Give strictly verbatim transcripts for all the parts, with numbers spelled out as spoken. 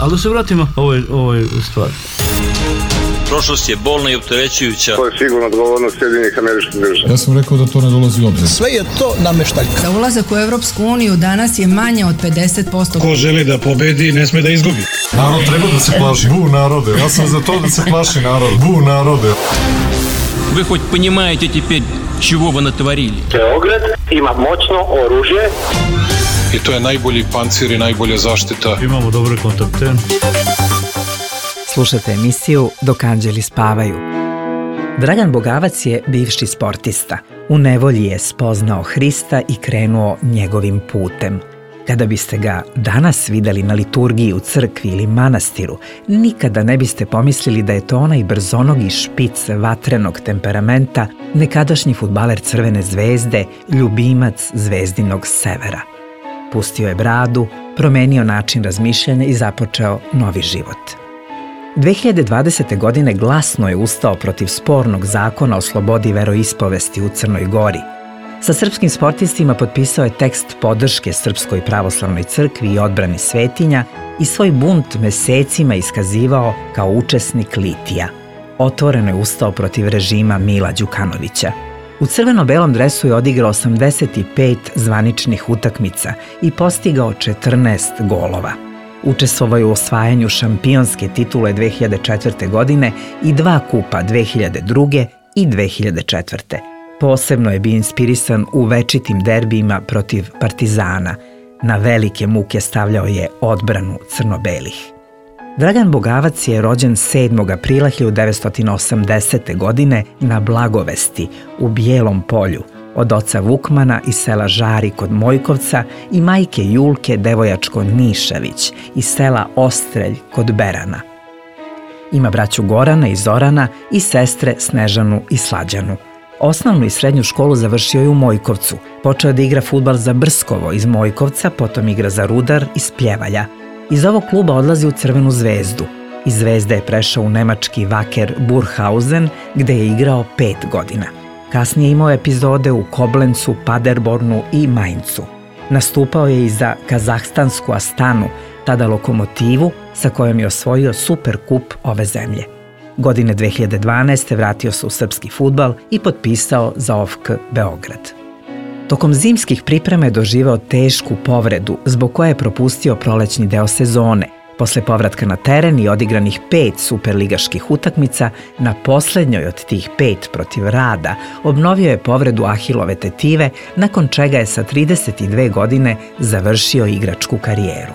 Ali da se vratimo ovoj, ovoj stvari. Prošlost je bolna i opterećujuća. To je sigurno odgovornost Sjedinjenih Američkih Država. Ja sam rekao da to ne dolazi u obzir. Sve je to nameštaljka. Za ulazak u Evropsku uniju danas je manje od pedeset posto. Ko želi da pobedi, ne sme da izgubi. Narod treba da se plaši. Bu narode. Ja sam za to da se plaši narod. Bu narode. Вы хоть понимаете теперь, чего вы натворили? Beograd ima moćno oružje. I to je najbolji pancir i najbolja zaštita. Imamo dobre kontakte. Slušate emisiju Dok anđeli spavaju. Dragan Bogavac je bivši sportista. U nevolji je spoznao Hrista i krenuo njegovim putem. Kada biste ga danas videli na liturgiji u crkvi ili manastiru, nikada ne biste pomislili da je to onaj brzonogi špic vatrenog temperamenta, nekadašnji fudbaler Crvene zvezde, ljubimac zvezdinog severa. Pustio je bradu, promenio način razmišljanja i započeo novi život. dve hiljade dvadesete. godine glasno je ustao protiv spornog zakona o slobodi veroispovesti u Crnoj Gori. Sa srpskim sportistima potpisao je tekst podrške Srpskoj pravoslavnoj crkvi i odbrani svetinja i svoj bunt mesecima iskazivao kao učesnik litija. Otvoreno je ustao protiv režima Mila Đukanovića. U crveno-belom dresu je odigrao osamdeset pet zvaničnih utakmica i postigao četrnaest golova. Učestvovao je u osvajanju šampionske titule dve hiljade četvrte. godine i dva kupa dve hiljade druge. i dve hiljade četvrte. Posebno je bio inspirisan u večitim derbijima protiv Partizana. Na velike muke stavljao je odbranu crno-belih. Dragan Bogavac je rođen sedmog aprila hiljadu devetsto osamdesete. godine na Blagovesti u Bijelom Polju od oca Vukmana iz sela Žari kod Mojkovca i majke Julke Devojačko Nišević iz sela Ostrelj kod Berana. Ima braću Gorana i Zorana i sestre Snežanu i Slađanu. Osnovnu i srednju školu završio je u Mojkovcu. Počeo da igra fudbal za Brskovo iz Mojkovca, potom igra za Rudar iz Pljevalja. Iz ovog kluba odlazi u Crvenu zvezdu. Iz Zvezde je prešao u nemački Wacker Burghausen, gde je igrao pet godina. Kasnije imao epizode u Koblencu, Paderbornu i Mainzu. Nastupao je i za kazahstansku Astanu, tada Lokomotivu, sa kojom je osvojio Superkup ove zemlje. Godine dve hiljade dvanaeste. vratio se u srpski fudbal i potpisao za O F K Beograd. Tokom zimskih priprema je doživeo tešku povredu, zbog koje je propustio prolećni deo sezone. Posle povratka na teren i odigranih pet superligaških utakmica, na poslednjoj od tih pet protiv Rada obnovio je povredu Ahilove tetive, nakon čega je sa trideset dve godine završio igračku karijeru.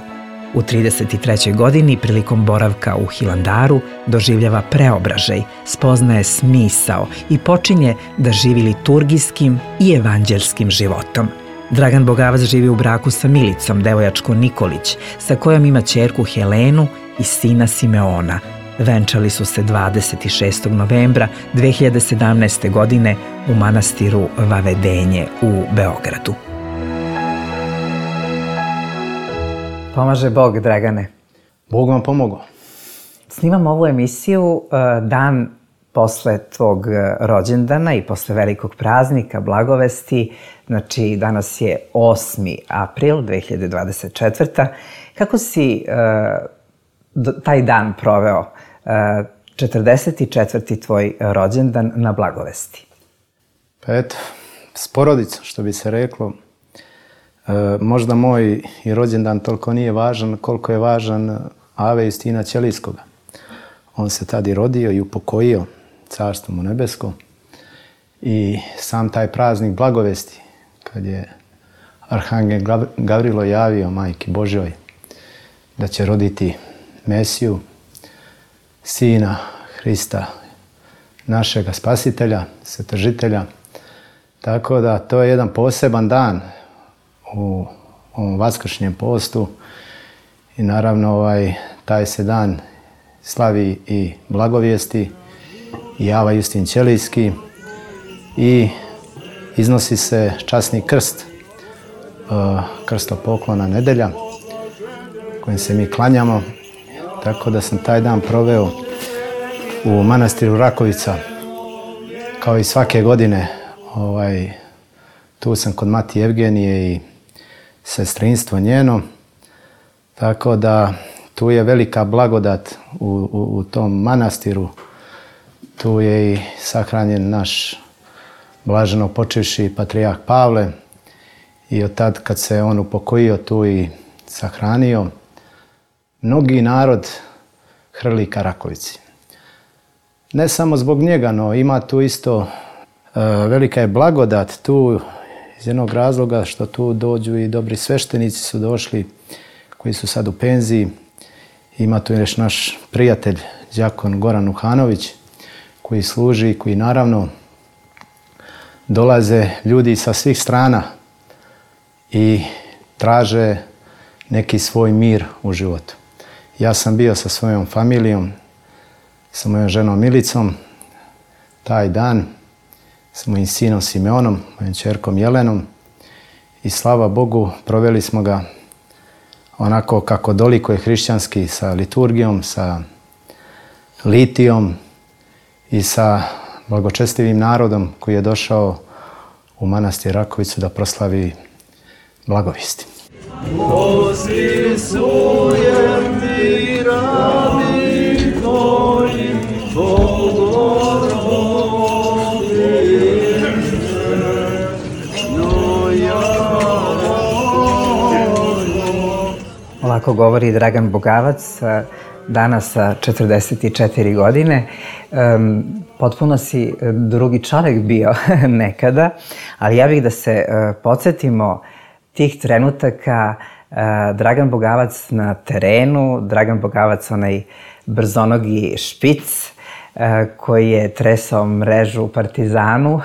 U trideset trećoj. godini, prilikom boravka u Hilandaru, doživljava preobražaj, spoznaje smisao i počinje da živi liturgijskim i evanđelskim životom. Dragan Bogavac živi u braku sa Milicom Devojačko Nikolić, sa kojom ima ćerku Helenu i sina Simeona. Venčali su se dvadeset šestog novembra dve hiljade sedamnaeste. godine u manastiru Vavedenje u Beogradu. Pomaže Bog, Dragane. Bog vam pomogao. Snimam ovu emisiju dan posle tvog rođendana i posle velikog praznika, Blagovesti. Znači, danas je osmi april dve hiljade dvadeset četvrte. Kako si uh, taj dan proveo? Uh, četrdeset četvrti. tvoj rođendan na Blagovesti. Pa eto, s porodicom, što bi se reklo. Uh, možda moj i rođendan toliko nije važan koliko je važan Ave Justina Ćelijskoga. On se tad i rodio i upokojio, carstvo mu nebesko. I sam taj praznik Blagovesti, kad je Arhangel Gavrilo javio Majki Božjoj da će roditi Mesiju, Sina Hrista, našega Spasitelja, Svetržitelja. Tako da to je jedan poseban dan u ovom vaskršnjem postu i naravno ovaj, taj se dan slavi i Blagovijesti i Ava Justin Ćelijski i iznosi se časni krst, krstopoklona nedelja kojim se mi klanjamo, tako da sam taj dan proveo u manastiru Rakovica kao i svake godine. Ovaj, tu sam kod Mati Evgenije i sestrinstvo njeno. Tako da tu je velika blagodat u, u, u tom manastiru. Tu je i sahranjen naš blaženo počivši patrijarh Pavle i od tad kad se on upokojio tu i sahranio, mnogi narod hrli ka Rakovici. Ne samo zbog njega, no ima tu isto e, velika je blagodat tu iz jednog razloga što tu dođu i dobri sveštenici su došli koji su sad u penziji. Ima tu još naš prijatelj, đakon Goran Uhanović, koji služi, koji naravno dolaze ljudi sa svih strana i traže neki svoj mir u životu. Ja sam bio sa svojom familijom, sa mojom ženom Milicom, taj dan, sa mojim sinom Simeonom, mojom ćerkom Jelenom i slava Bogu, proveli smo ga onako kako dolikuje hrišćanski, sa liturgijom, sa litijom i sa blagočestivim narodom koji je došao u manastir Rakovicu da proslavi blagovijesti. Ovako govori Dragan Bogavac, danas sa četrdeset četiri godine. Potpuno si drugi čovjek bio nekada, ali ja bih da se podsjetimo tih trenutaka. Dragan Bogavac na terenu, Dragan Bogavac onaj brzonogi špic koji je tresao mrežu u Partizanu.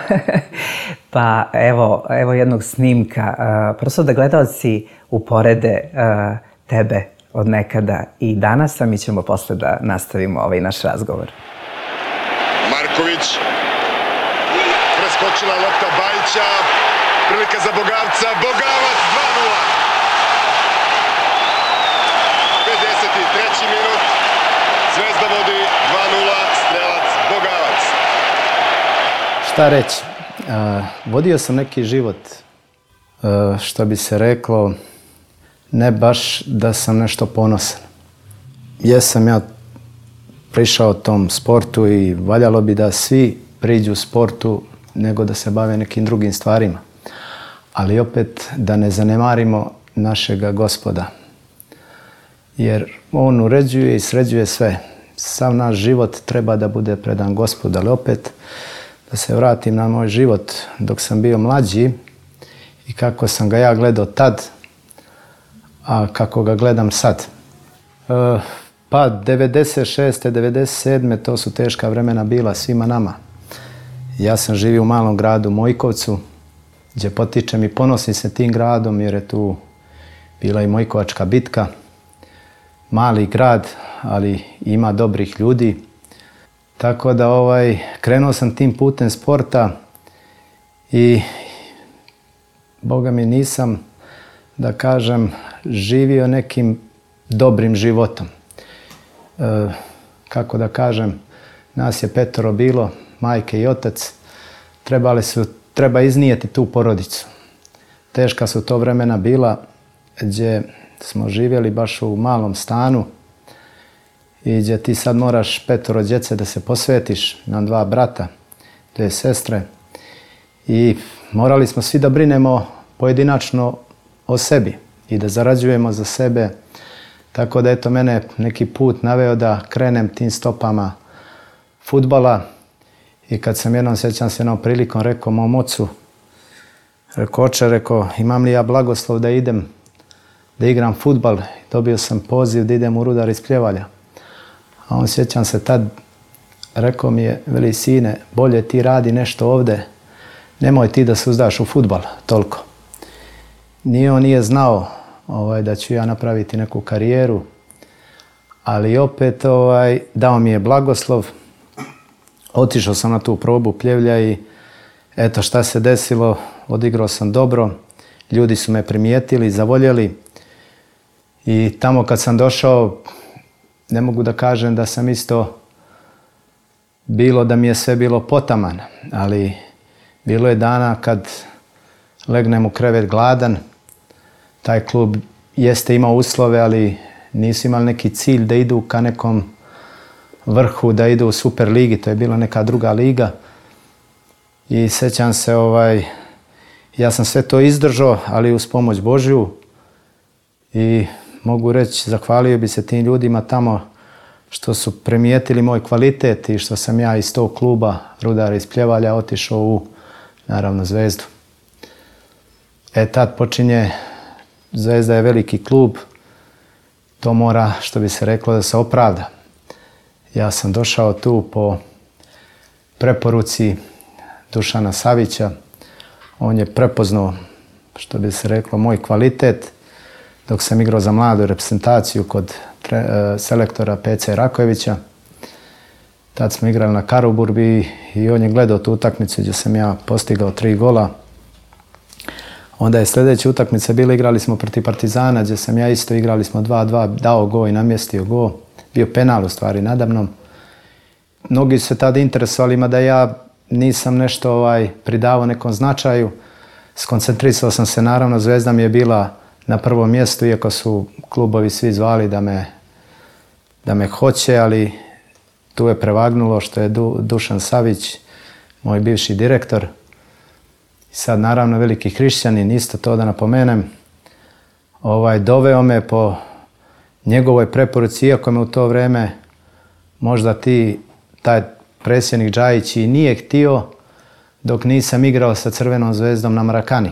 Pa evo, evo jednog snimka, prosto da gledalci uporede tebe od nekada i danas, a mi ćemo posle da nastavimo ovaj naš razgovor. Marković, preskočila lopta Bajića, prilika za Bogavca, Bogavac dva nula. pedeset treći minut, Zvezda vodi dva nula, strelac Bogavac. Šta reći? Vodio sam neki život, što bi se reklo, ne baš da sam nešto ponosan. Jesam ja prišao tom sportu i valjalo bi da svi priđu sportu nego da se bave nekim drugim stvarima. Ali opet da ne zanemarimo našega Gospoda. Jer on uređuje i sređuje sve. Sav naš život treba da bude predan Gospodu. Ali opet da se vratim na moj život dok sam bio mlađi i kako sam ga ja gledao tad, a kako ga gledam sad. E, pa devedeset šeste. devedeset sedme. to su teška vremena bila svima nama. Ja sam živio u malom gradu Mojkovcu, gdje potičem i ponosim se tim gradom jer je tu bila i Mojkovačka bitka. Mali grad, ali ima dobrih ljudi. Tako da ovaj, krenuo sam tim putem sporta i Boga mi nisam, da kažem, živio nekim dobrim životom. E, kako da kažem, nas je petoro bilo, majke i otac, trebali su, treba iznijeti tu porodicu. Teška su to vremena bila gdje smo živjeli baš u malom stanu i gdje ti sad moraš petoro djece da se posvetiš, na dva brata, dvije sestre i morali smo svi da brinemo pojedinačno o sebi i da zarađujemo za sebe. Tako da eto mene neki put naveo da krenem tim stopama fudbala i kad sam jednom, sjećam se jednom prilikom, rekao mom ocu, rekao oče, rekao imam li ja blagoslov da idem da igram fudbal. Dobio sam poziv da idem u Rudar iz Pljevalja. A on, sjećam se tad, rekao mi je, veli sine, bolje ti radi nešto ovdje, nemoj ti da se uzdaš u fudbal toliko. Nije on nije znao ovaj, da ću ja napraviti neku karijeru, ali opet ovaj, dao mi je blagoslov. Otišao sam na tu probu Pljevlja i eto šta se desilo, odigrao sam dobro, ljudi su me primijetili, zavoljeli i tamo kad sam došao, ne mogu da kažem da sam isto bilo da mi je sve bilo potaman, ali bilo je dana kad legnem u krevet gladan, taj klub jeste imao uslove, ali nisu imali neki cilj da idu ka nekom vrhu, da idu u Super ligi, to je bila neka druga liga. I sjećam se, ovaj, ja sam sve to izdržao, ali uz pomoć Božju. I mogu reći, zahvalio bi se tim ljudima tamo što su primijetili moj kvalitet i što sam ja iz tog kluba Rudara iz Pljevalja otišao u, naravno, Zvezdu. E, tad počinje, Zvezda je veliki klub, to mora, što bi se reklo, da se opravda. Ja sam došao tu po preporuci Dušana Savića. On je prepoznao, što bi se reklo, moj kvalitet. Dok sam igrao za mladu reprezentaciju kod tre, selektora P C Rakojevića. Tad smo igrali na Karuburbi i on je gledao tu utakmicu gdje sam ja postigao tri gola. Onda je sljedeća utakmica bila, igrali smo protiv Partizana, gdje sam ja isto, igrali smo dva dva, dao go i namjestio go. Bio penal u stvari nadamnom. Mnogi su se tada interesovali, mada ja nisam nešto ovaj, pridavao nekom značaju. Skoncentrisao sam se, naravno, Zvezda mi je bila na prvom mjestu, iako su klubovi svi zvali da me, da me hoće, ali tu je prevagnulo što je Du, Dušan Savić, moj bivši direktor. I sad, naravno, veliki hrišćanin, isto to da napomenem, ovaj, doveo me po njegovoj preporuci, iako me u to vrijeme možda ti, taj predsjednik Džajić i nije htio, dok nisam igrao sa Crvenom Zvezdom na Marakani.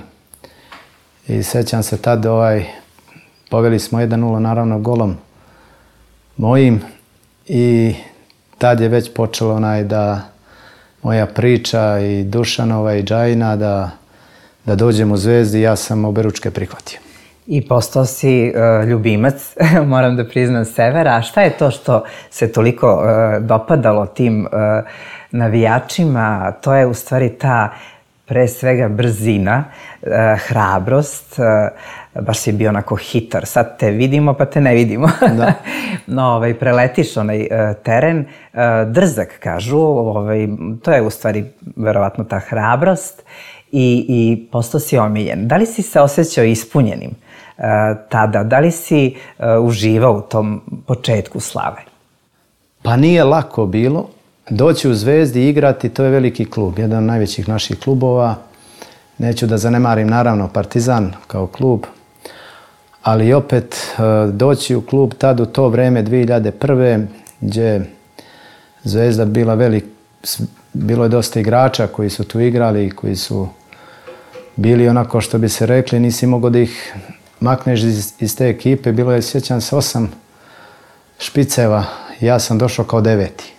I sjećam se tad, ovaj, poveli smo jedan nula, naravno, golom mojim i tad je već počelo onaj da moja priča i Dušanova i Džajina da, da dođem u Zvezdi, ja sam oberučke prihvatio. I postao si uh, ljubimac, moram da priznam, Severa. A šta je to što se toliko uh, dopadalo tim uh, navijačima? To je u stvari ta, pre svega, brzina, uh, hrabrost. Uh, baš si bio onako hitar. Sad te vidimo pa te ne vidimo. Da. No, ovaj, preletiš onaj uh, teren. Uh, drzak, kažu. Ovaj, to je u stvari verovatno ta hrabrost. I, i postao si omiljen. Da li si se osjećao ispunjenim uh, tada? Da li si uh, uživao u tom početku slave? Pa nije lako bilo. Doći u Zvezdi i igrati, to je veliki klub, jedan od najvećih naših klubova. Neću da zanemarim, naravno, Partizan kao klub, ali opet uh, doći u klub tad u to vreme dvije hiljade prve. gdje Zvezda bila velik, bilo je dosta igrača koji su tu igrali i koji su bili onako, što bi se rekli, nisi mogao da ih makneš iz, iz te ekipe. Bilo je, sjećam se, osam špiceva. Ja sam došao kao deveti.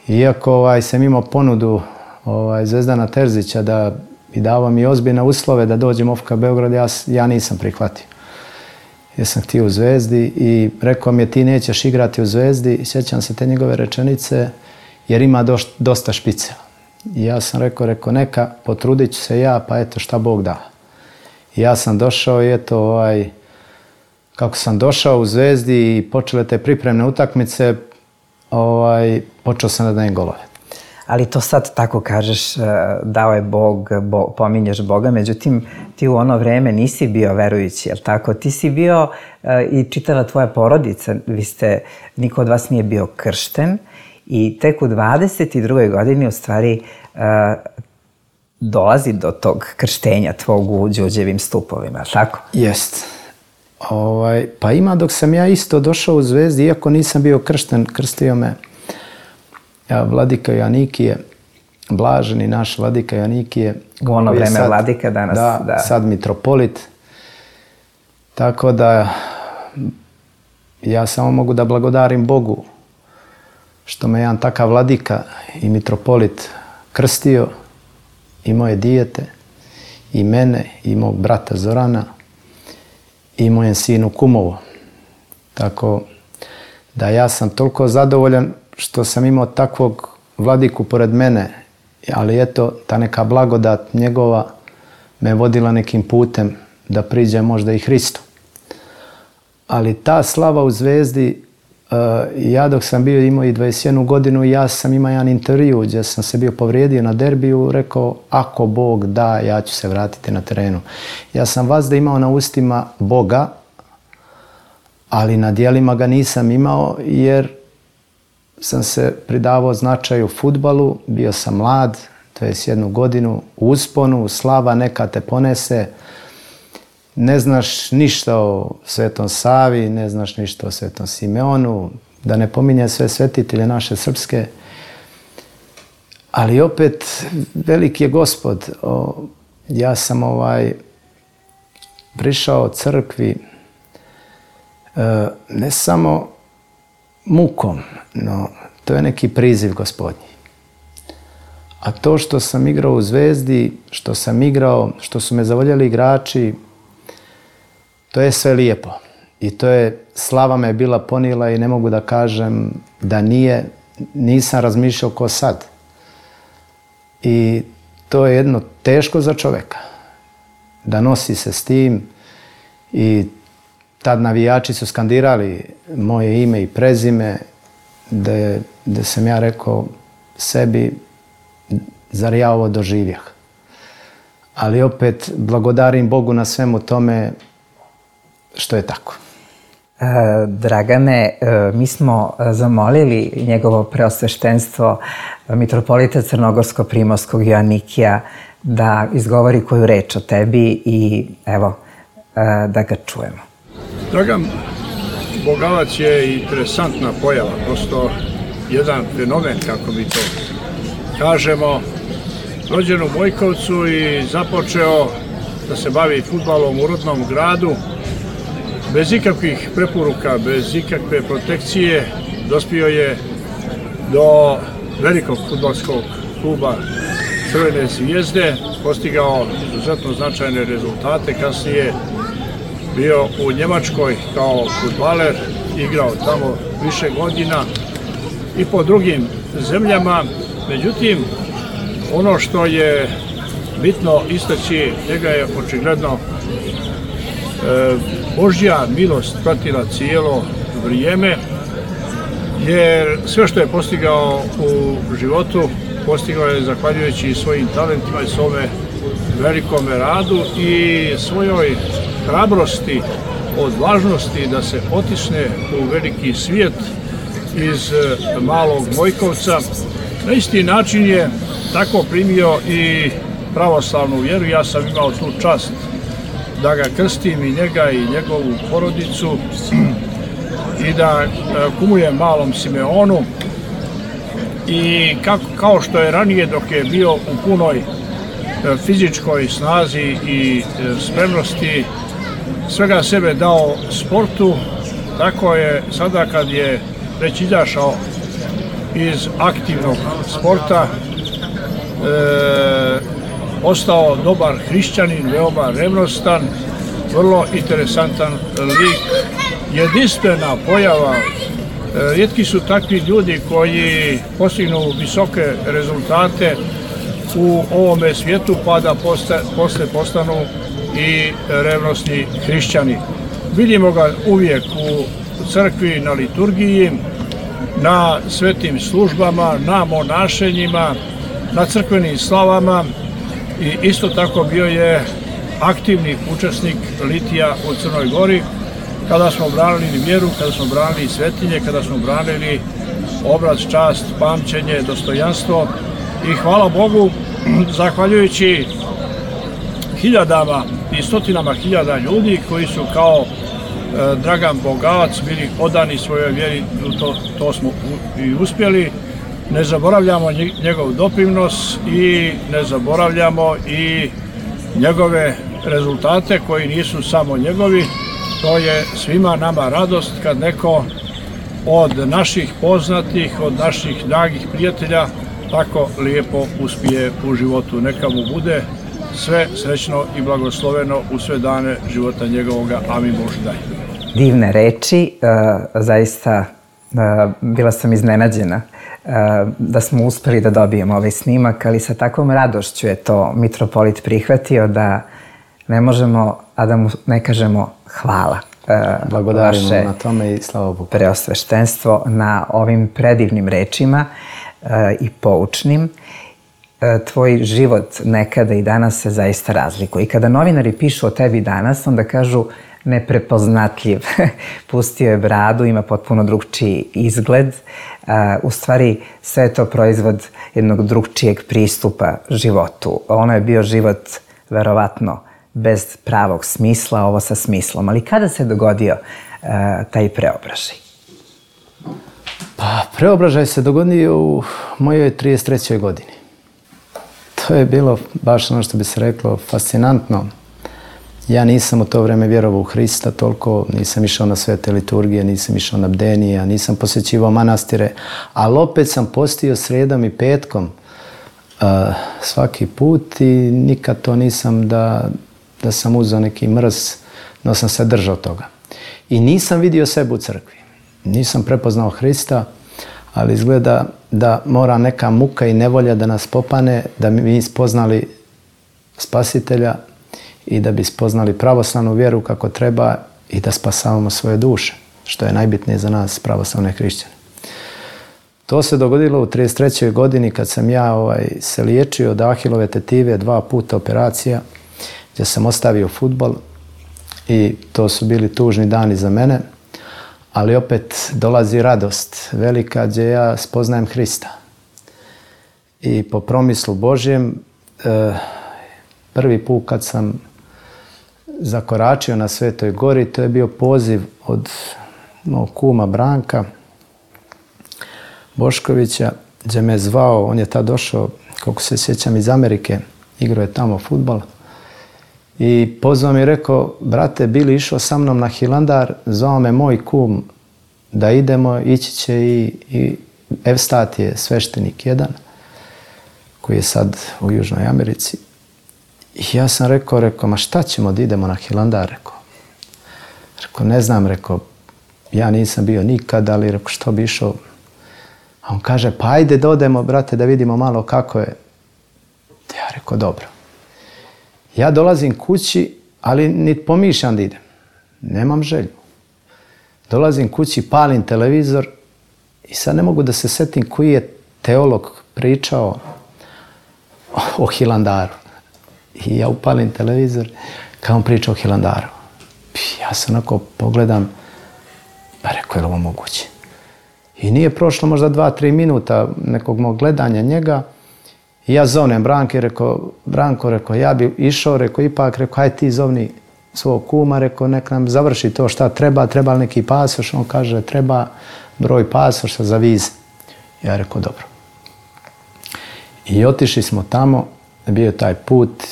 Iako ovaj, sam imao ponudu ovaj, Zvezdana Terzića da i davao mi ozbiljne uslove da dođem u F K Beograd, ja, ja nisam prihvatio. Jer sam htio u Zvezdi i rekao mi je ti nećeš igrati u Zvezdi. Sjećam se te njegove rečenice jer ima doš, dosta špiceva. I ja sam rekao, rekao neka, potrudit ću se ja, pa eto šta Bog da. I ja sam došao i eto, ovaj, kako sam došao u Zvezdi i počele te pripremne utakmice, ovaj, počeo sam da dajem golove. Ali to sad tako kažeš, dao je Bog, bo, pominješ Boga, međutim ti u ono vreme nisi bio verujući, jel tako? Ti si bio i čitava tvoja porodica, vi ste, niko od vas nije bio kršten i tek u dvadeset drugoj godini u stvari dolazi do tog krštenja tvog u Đurđevim stupovima, tako? Jest. Ovaj, pa ima dok sam ja isto došao u Zvezdi, iako nisam bio kršten, krstio me ja, Vladika Janikije, blaženi naš Vladika Janikije. U ono vreme sad, Vladika, danas. Da, da, sad mitropolit. Tako da ja samo mogu da blagodarim Bogu što me jedan takav Vladika i mitropolit krstio i moje dijete, i mene, i mog brata Zorana, i mojem sinu Kumovo. Tako da ja sam toliko zadovoljan što sam imao takvog vladiku pored mene, ali eto, ta neka blagodat njegova me vodila nekim putem da priđe možda i Hristu. Ali ta slava u Zvezdi, ja dok sam bio imao i dvadeset jednu godinu, ja sam imao jedan intervju gdje sam se bio povrijedio na derbiju, rekao ako Bog da, ja ću se vratiti na terenu. Ja sam vazda imao na ustima Boga, ali na dijelima ga nisam imao jer sam se pridavao značaju fudbalu, bio sam mlad, to je s jednu godinu u usponu, slava neka te ponese, ne znaš ništa o Svetom Savi, ne znaš ništa o Svetom Simeonu, da ne pominje sve svetitelje naše srpske, ali opet veliki je Gospod. O, ja sam ovaj prišao crkvi e, ne samo mukom, no to je neki priziv Gospodnji. A to što sam igrao u Zvezdi, što sam igrao, što su me zavoljeli igrači, to je sve lijepo. I to je, slava me je bila ponijela i ne mogu da kažem da nije, nisam razmišljao ko sad. I to je jedno teško za čovjeka, da nosi se s tim. I tad navijači su skandirali moje ime i prezime, da, da sam ja rekao sebi, zar ja ovo doživjeh. Ali opet blagodarim Bogu na svemu tome što je tako. Dragane, mi smo zamolili njegovo preosveštenstvo mitropolita Crnogorsko-Primorskog Joanikija da izgovori koju reč o tebi i evo, da ga čujemo. Dragan Bogavac je interesantna pojava, prosto jedan fenomen, kako mi to kažemo. Rođen u Bojkovcu i započeo da se bavi fudbalom u rodnom gradu. Bez ikakvih preporuka, bez ikakve protekcije dospio je do velikog fudbalskog kluba Crvene zvijezde, postigao izuzetno značajne rezultate, kasnije bio u Njemačkoj kao fudbaler, igrao tamo više godina i po drugim zemljama. Međutim, ono što je bitno istaći, njega je očigledno Božja milost pratila cijelo vrijeme, jer sve što je postigao u životu, postigao je zahvaljujući svojim talentima i svome velikome radu i svojoj hrabrosti, odvažnosti da se otisne u veliki svijet iz malog Bojkovca. Na isti način je tako primio i pravoslavnu vjeru. Ja sam imao tu čast da ga krstim i njega i njegovu porodicu i da kumujem malom Simeonu. I kako, kao što je ranije, dok je bio u punoj fizičkoj snazi i spremnosti, svega sebe dao sportu, tako je sada kad je već izašao iz aktivnog sporta, e, ostao dobar hrišćanin, veoma revnostan, vrlo interesantan lik, jedinstvena pojava. Rijetki su takvi ljudi koji postignu visoke rezultate u ovome svijetu pa da posle, posle postanu i revnosni hrišćani. Vidimo ga uvijek u crkvi, na liturgiji, na svetim službama, na monašenjima, na crkvenim slavama i isto tako bio je aktivni učesnik litija u Crnoj Gori, kada smo branili vjeru, kada smo branili svetinje, kada smo branili obraz, čast, pamćenje, dostojanstvo. I hvala Bogu, zahvaljujući hiljadama i stotinama hiljada ljudi koji su kao e, Dragan Bogavac bili odani svojoj vjeri, to, to smo u, i uspjeli. Ne zaboravljamo njegov doprinos i ne zaboravljamo i njegove rezultate koji nisu samo njegovi. To je svima nama radost kad neko od naših poznatih, od naših dragih prijatelja tako lijepo uspije u životu. Neka mu bude sve srećno i blagosloveno u sve dane života njegovoga. Amin Bože daj. Divne reči, zaista bila sam iznenađena da smo uspeli da dobijemo ovaj snimak, ali sa takvom radošću je to mitropolit prihvatio da ne možemo, a da mu ne kažemo hvala. Blagodarimo na tome i slava Bogu. Preosveštenstvo na ovim predivnim rečima i poučnim. Tvoj život nekada i danas se zaista razlikuje. I kada novinari pišu o tebi danas, onda kažu neprepoznatljiv. Pustio je bradu, ima potpuno drugčiji izgled. U stvari, sve je to proizvod jednog drugčijeg pristupa životu. Ono je bio život, verovatno, bez pravog smisla, ovo sa smislom. Ali kada se dogodio taj preobražaj? Pa, preobražaj se dogodio u mojoj trideset trećoj godini. To je bilo, baš ono što bi se reklo, fascinantno. Ja nisam u to vreme vjerovao u Hrista toliko, nisam išao na svete liturgije, nisam išao na bdenije, nisam posjećivao manastire, ali opet sam postio sredom i petkom uh, svaki put i nikad to nisam da, da sam uzeo neki mrz, no sam se držao toga. I nisam vidio sebe u crkvi. Nisam prepoznao Hrista, ali izgleda da mora neka muka i nevolja da nas popane, da mi spoznali Spasitelja i da bi spoznali pravoslavnu vjeru kako treba i da spasavamo svoje duše, što je najbitnije za nas, pravoslavne hrišćane. To se dogodilo u trideset trećoj godini kad sam ja ovaj, se liječio od ahilove tetive, dva puta operacija, gdje sam ostavio fudbal i to su bili tužni dani za mene, ali opet dolazi radost velika gdje ja spoznajem Hrista. I po promislu Božjem, prvi put kad sam zakoračio na Svetoj gori, to je bio poziv od mog kuma Branka Boškovića, gdje me zvao, on je tad došao, kako se sjećam, iz Amerike, igrao je tamo fudbal. I pozvao mi i rekao, brate, bili išao sa mnom na Hilandar, zvao me moj kum da idemo, ići će i, i Evstat je sveštenik jedan, koji je sad u Južnoj Americi. I ja sam rekao, rekao, ma šta ćemo da idemo na Hilandar, rekao. Rekao, ne znam, rekao, ja nisam bio nikad, ali rekao, što bi išao? A on kaže, pa ajde da odemo, brate, da vidimo malo kako je. Ja rekao, dobro. Ja dolazim kući, ali niti pomišljam da idem. Nemam želju. Dolazim kući, palim televizor i sad ne mogu da se setim koji je teolog pričao o Hilandaru. I ja upalim televizor kao on priča o Hilandaru. Ja se onako pogledam, pa rekao, je li ovo moguće? I nije prošlo možda dva, tri minuta nekog mog gledanja njega. I ja zovnem Branke, rekao, Branko, rekao, ja bi išao, rekao, ipak, rekao, hajde ti zovni svog kuma, rekao, nek nam završi to šta treba, treba li neki pasoš? On kaže, treba broj pasoša za vize. Ja rekao, dobro. I otišli smo tamo, bio taj put,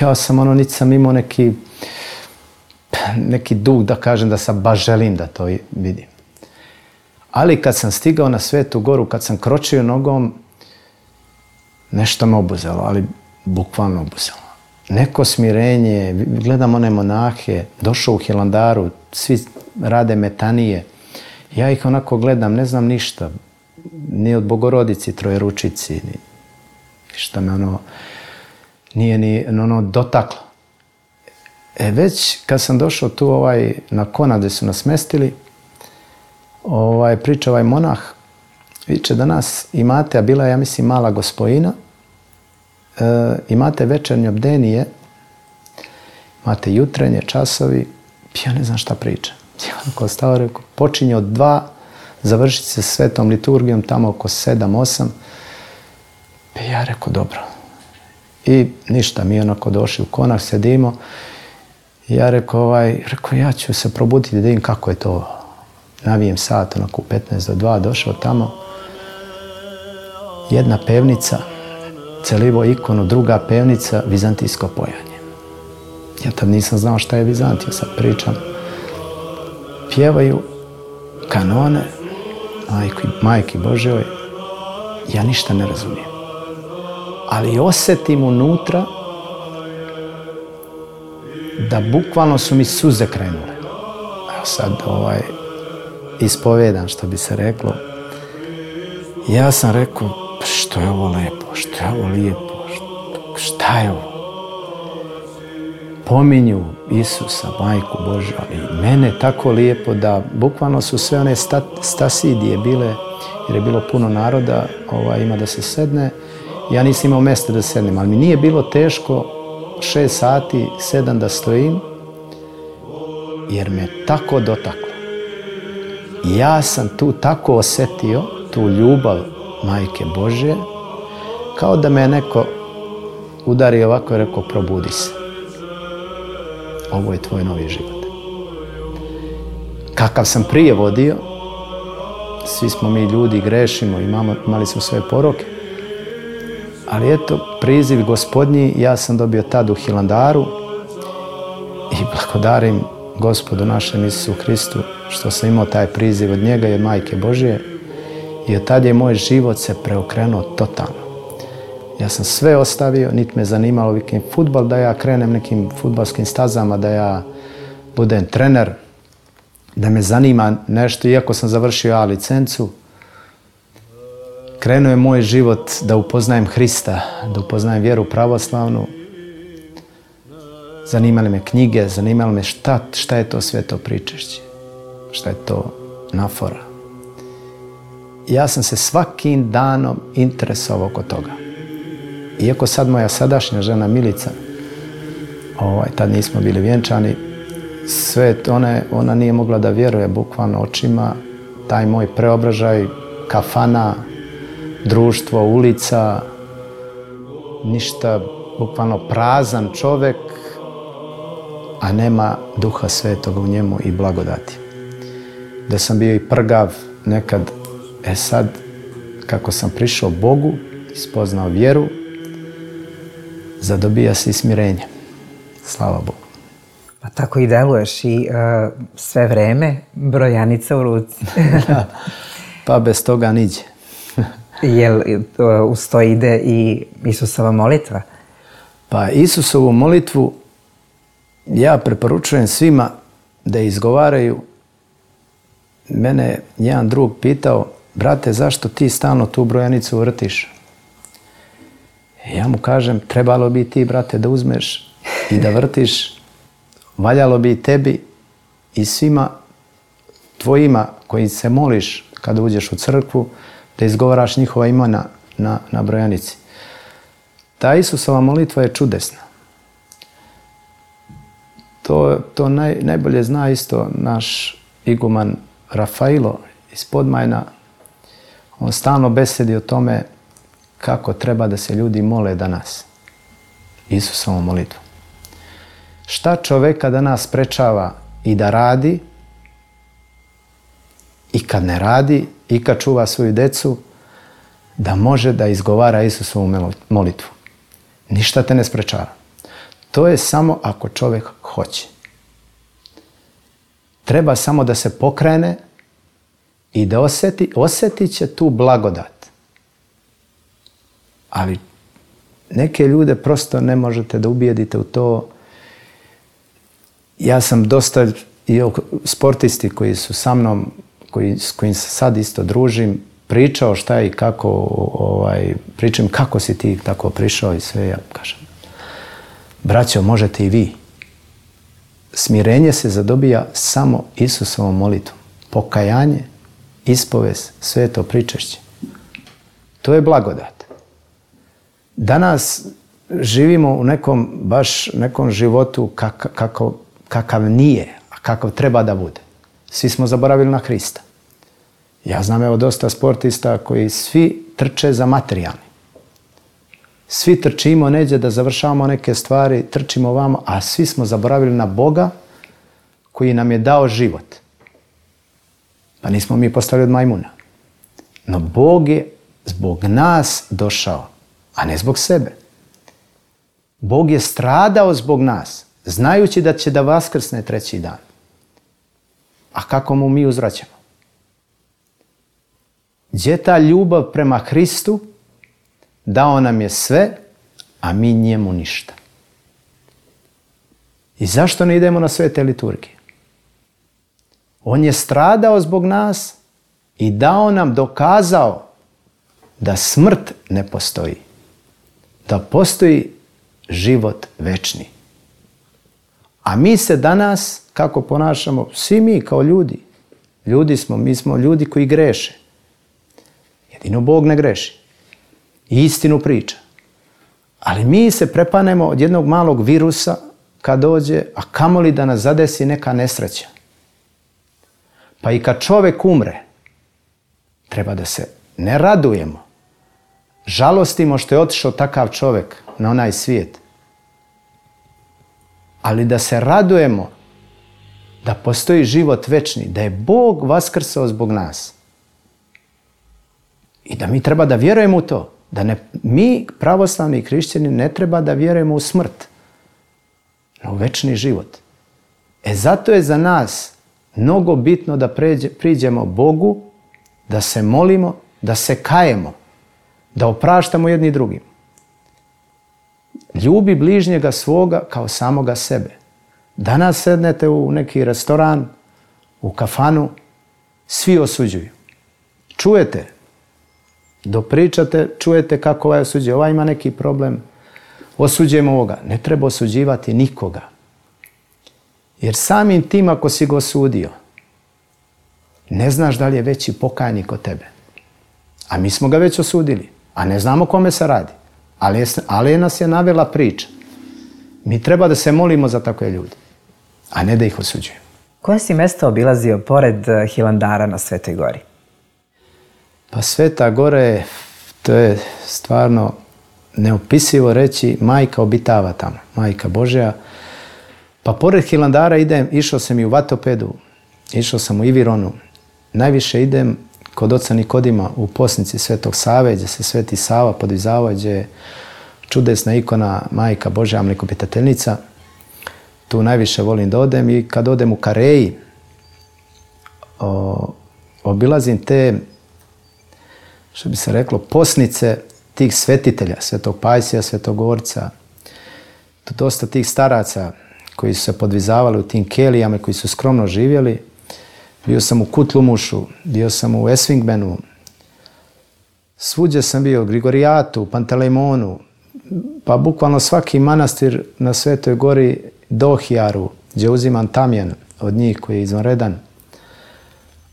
ja sam ono, niti sam imao neki, neki dug da kažem da sam baš želim da to vidim. Ali kad sam stigao na Svetu goru, kad sam kročio nogom, nešto me obuzelo, ali bukvalno obuzelo. Neko smirenje, gledam one monahe, došao u Hilandaru, svi rade metanije. Ja ih onako gledam, ne znam ništa, ni od Bogorodici, Trojeručici, ni šta me ono, nije ni ono dotaklo. E već kad sam došao tu ovaj, na Kona gdje su nas mestili, ovaj, priča ovaj monah, viče da nas imate, a bila je, ja mislim, mala gospojina, e, imate večernje bdenije, imate jutrenje, časovi, ja ne znam šta priča. Ja onako stao, rekao, počinje od dva, završiti se svetom liturgijom tamo oko sedam, osam. Ja rekao, dobro. I ništa, mi onako došli u Konar, sedimo. Ja rekao, ovaj, rekao, ja ću se probuditi da vidim kako je to. Navijem sat, onako u petnaest do dva, došao tamo. Jedna pevnica, celivo ikonu, druga pevnica, vizantijsko pojanje. Ja tad nisam znao šta je Vizantija, sad pričam. Pjevaju kanone, majki, majki Božjoj, ja ništa ne razumijem. Ali osjetim unutra da bukvalno su mi suze krenule. Evo sad ovaj, ispovedam, što bi se reklo. Ja sam rekao, što je ovo lepo, što je ovo lijepo, šta je ovo? Pominju Isusa, majku Božju, ali mene tako lijepo da bukvalno su sve one sta, stasidije bile, jer je bilo puno naroda, ovaj, ima da se sedne. Ja nisam imao mjesta da sednem, ali mi nije bilo teško šest sati, sedam da stojim jer me tako dotaklo. I ja sam tu tako osjetio tu ljubav Majke Božje, kao da me neko udario ovako i rekao probudi se. Ovo je tvoj novi život. Kakav sam prije vodio, svi smo mi ljudi, grešimo, imamo, imali smo svoje poroke. Ali eto, priziv Gospodnji ja sam dobio tad u Hilandaru i blagodarim Gospodu našem Isusu Hristu što sam imao taj priziv od njega i od Majke Božje i od tad je moj život se preokrenuo totalno. Ja sam sve ostavio, niti me zanimalo vikim fudbal, da ja krenem nekim fudbalskim stazama, da ja budem trener, da me zanima nešto, iako sam završio A licencu. Krenuo je moj život da upoznajem Hrista, da upoznajem vjeru pravoslavnu. Zanimale me knjige, zanimalo me šta, šta je to sveto pričešće, šta je to nafora. Ja sam se svakim danom interesovao oko toga. Iako sad moja sadašnja žena Milica, ovaj, tad nismo bili vjenčani, sve ona, ona nije mogla da vjeruje bukvalno očima, taj moj preobražaj, kafana, društvo, ulica, ništa, bukvalno prazan čovjek, a nema Duha Svetoga u njemu i blagodati. Da sam bio i prgav nekad, e sad, kako sam prišao Bogu, spoznao vjeru, zadobija se i smirenje. Slava Bogu. Pa tako i deluješ i uh, sve vreme brojanica u ruci. Pa bez toga niđe. Jel uh, uz to ide i Isusova molitva? Pa Isusovu molitvu ja preporučujem svima da izgovaraju. Mene jedan drug pitao, brate, zašto ti stalno tu brojanicu vrtiš? Ja mu kažem, trebalo bi ti, brate, da uzmeš i da vrtiš. Valjalo bi i tebi i svima tvojima koji se moliš kada uđeš u crkvu, da izgovaraš njihova imena na, na brojanici. Ta Isusova molitva je čudesna. To, to naj, najbolje zna isto naš iguman Rafailo iz Podmajna. On stalno besedi o tome kako treba da se ljudi mole danas. Isusovu molitvu. Šta čoveka danas sprečava i da radi, i kad ne radi, i kad čuva svoju decu, da može da izgovara Isusovu molitvu. Ništa te ne sprečava. To je samo ako čovjek hoće. Treba samo da se pokrene i da osjeti, osjetit će tu blagodat. Ali neke ljude prosto ne možete da ubijedite u to. Ja sam dosta i sportisti koji su sa mnom, koji, s kojim se sad isto družim, pričao šta i kako, ovaj, pričam kako si ti tako prišao i sve, ja kažem. Braćo, možete i vi. Smirenje se zadobija samo Isusovom molitvom. Pokajanje, ispovest, sveto pričešće. To je blagodat. Danas živimo u nekom, baš nekom životu kak, kako, kakav nije, a kakav treba da bude. Svi smo zaboravili na Hrista. Ja znam evo dosta sportista koji svi trče za materijalni. Svi trčimo neđe da završavamo neke stvari, trčimo ovamo, a svi smo zaboravili na Boga koji nam je dao život. Pa nismo mi postali od majmuna. No Bog je zbog nas došao, a ne zbog sebe. Bog je stradao zbog nas, znajući da će da vaskrsne treći dan. A kako mu mi uzvraćamo? Gdje je ta ljubav prema Hristu? Dao nam je sve, a mi njemu ništa. I zašto ne idemo na svete liturgije? On je stradao zbog nas i dao nam, dokazao da smrt ne postoji. Da postoji život večni. A mi se danas, kako ponašamo, svi mi kao ljudi, ljudi smo, mi smo ljudi koji greše. Jedino Bog ne greši. I istinu priča. Ali mi se prepanemo od jednog malog virusa, kad dođe, a kamoli da nas zadesi neka nesreća. Pa i kad čovjek umre, treba da se ne radujemo, žalostimo što je otišao takav čovjek na onaj svijet, ali da se radujemo da postoji život večni, da je Bog vaskrsao zbog nas. I da mi treba da vjerujemo u to. Da ne, mi, pravoslavni hrišćani, ne treba da vjerujemo u smrt, no u večni život. E zato je za nas mnogo bitno da pređe, priđemo Bogu, da se molimo, da se kajemo, da opraštamo jedni drugim. Ljubi bližnjega svoga kao samoga sebe. Danas sednete u neki restoran, u kafanu, svi osuđuju. Čujete, dopričate, čujete kako ovaj osuđuje. Ovaj ima neki problem, osuđujemo ovoga. Ne treba osuđivati nikoga. Jer samim tim ako si ga osudio, ne znaš da li je veći pokajnik od tebe. A mi smo ga već osudili, a ne znamo kome se radi. Ali, je, ali nas je navela priča. Mi treba da se molimo za takve ljude, a ne da ih osuđujemo. Koje si mesto obilazio pored Hilandara na Svetoj gori? Pa Sveta Gora je, to je stvarno neopisivo reći, majka obitava tamo, majka Božja. Pa pored Hilandara idem, išao sam i u Vatopedu, išao sam u Ivironu. Najviše idem kod oca Nikodima u Posnici Svetog Save, gdje se Sveti Sava podvizava, gdje je čudesna ikona majka Božja mlekopitateljnica. Tu najviše volim da odem i kad odem u Kareji, o, obilazim te, što bi se reklo, posnice tih svetitelja, Svetog Pajsija, Svetog Gorca, dosta tih staraca koji su se podvizavali u tim kelijama, koji su skromno živjeli. Bio sam u Kutlumušu, bio sam u Esfingbenu, svuđe sam bio u Grigorijatu, u Pantelejmonu, pa bukvalno svaki manastir na Svetoj gori, Dohijaru, gdje uzimam tamjan od njih koji je izvanredan.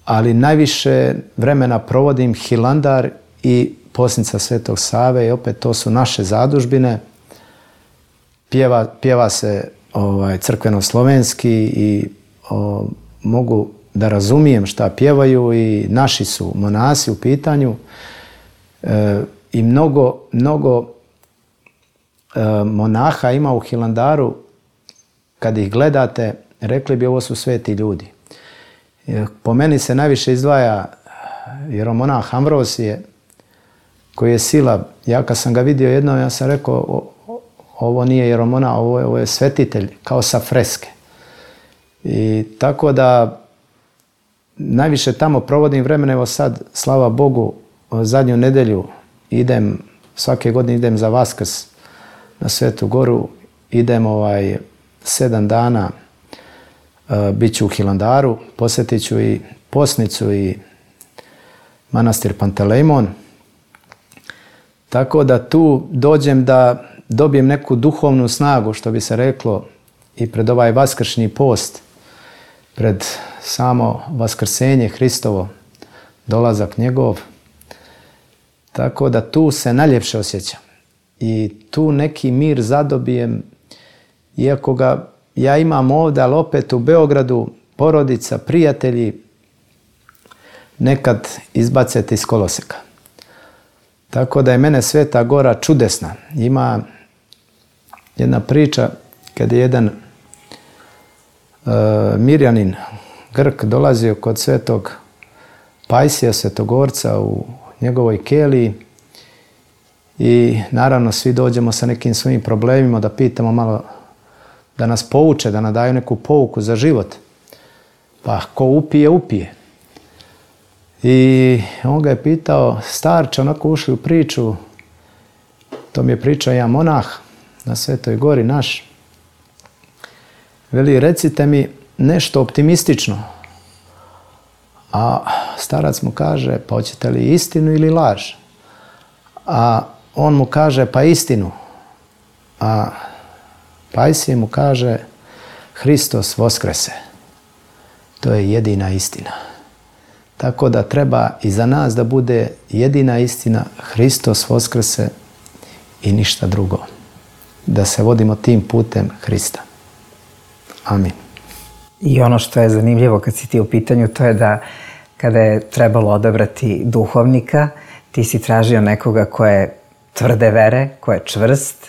Ali najviše vremena provodim Hilandar i Posnica Svetog Save i opet to su naše zadužbine. Pjeva, pjeva se ovaj, crkveno-slovenski i o, mogu da razumijem šta pjevaju i naši su monasi u pitanju. E, I mnogo, mnogo e, monaha ima u Hilandaru, kad ih gledate, rekli bi ovo su sveti ljudi. Po meni se najviše izdvaja jeromonah Ambrosije, koji je sila. Ja kad sam ga vidio jednom, ja sam rekao, ovo nije jeromonah, ovo je, ovo je svetitelj, kao sa freske. I tako da najviše tamo provodim vremena, evo sad, slava Bogu, zadnju nedelju idem, svake godine idem za Vaskrs na Svetu Goru, idem ovaj, sedam dana, bit ću u Hilandaru, posjetit ću i Posnicu i manastir Pantelejmon. Tako da tu dođem da dobijem neku duhovnu snagu, što bi se reklo, i pred ovaj vaskršnji post, pred samo vaskrsenje Hristovo, dolazak njegov. Tako da tu se najljepše osjećam. I tu neki mir zadobijem, iako ga ja imam ovdje, ali opet u Beogradu, porodica, prijatelji, nekad izbacete iz koloseka. Tako da je mene Sveta Gora čudesna. Ima jedna priča kad je jedan uh, Mirjanin, Grk, dolazio kod Svetog Pajsija, Svetogorca u njegovoj keliji i naravno svi dođemo sa nekim svojim problemima da pitamo malo, da nas pouče, da nam daju neku pouku za život. Pa ko upije, upije. I on ga je pitao, starče, onako ušli u priču, to mi je pričao jedan monah na Svetoj gori naš. Veli, recite mi nešto optimistično. A starac mu kaže, pa hoćete li istinu ili laž? A on mu kaže, pa istinu. A Pajsije mu kaže, Hristos voskrese. To je jedina istina. Tako da treba i za nas da bude jedina istina, Hristos voskrese i ništa drugo. Da se vodimo tim putem Hrista. Amin. I ono što je zanimljivo kad si ti u pitanju, to je da kada je trebalo odabrati duhovnika, ti si tražio nekoga ko je tvrde vere, ko je čvrst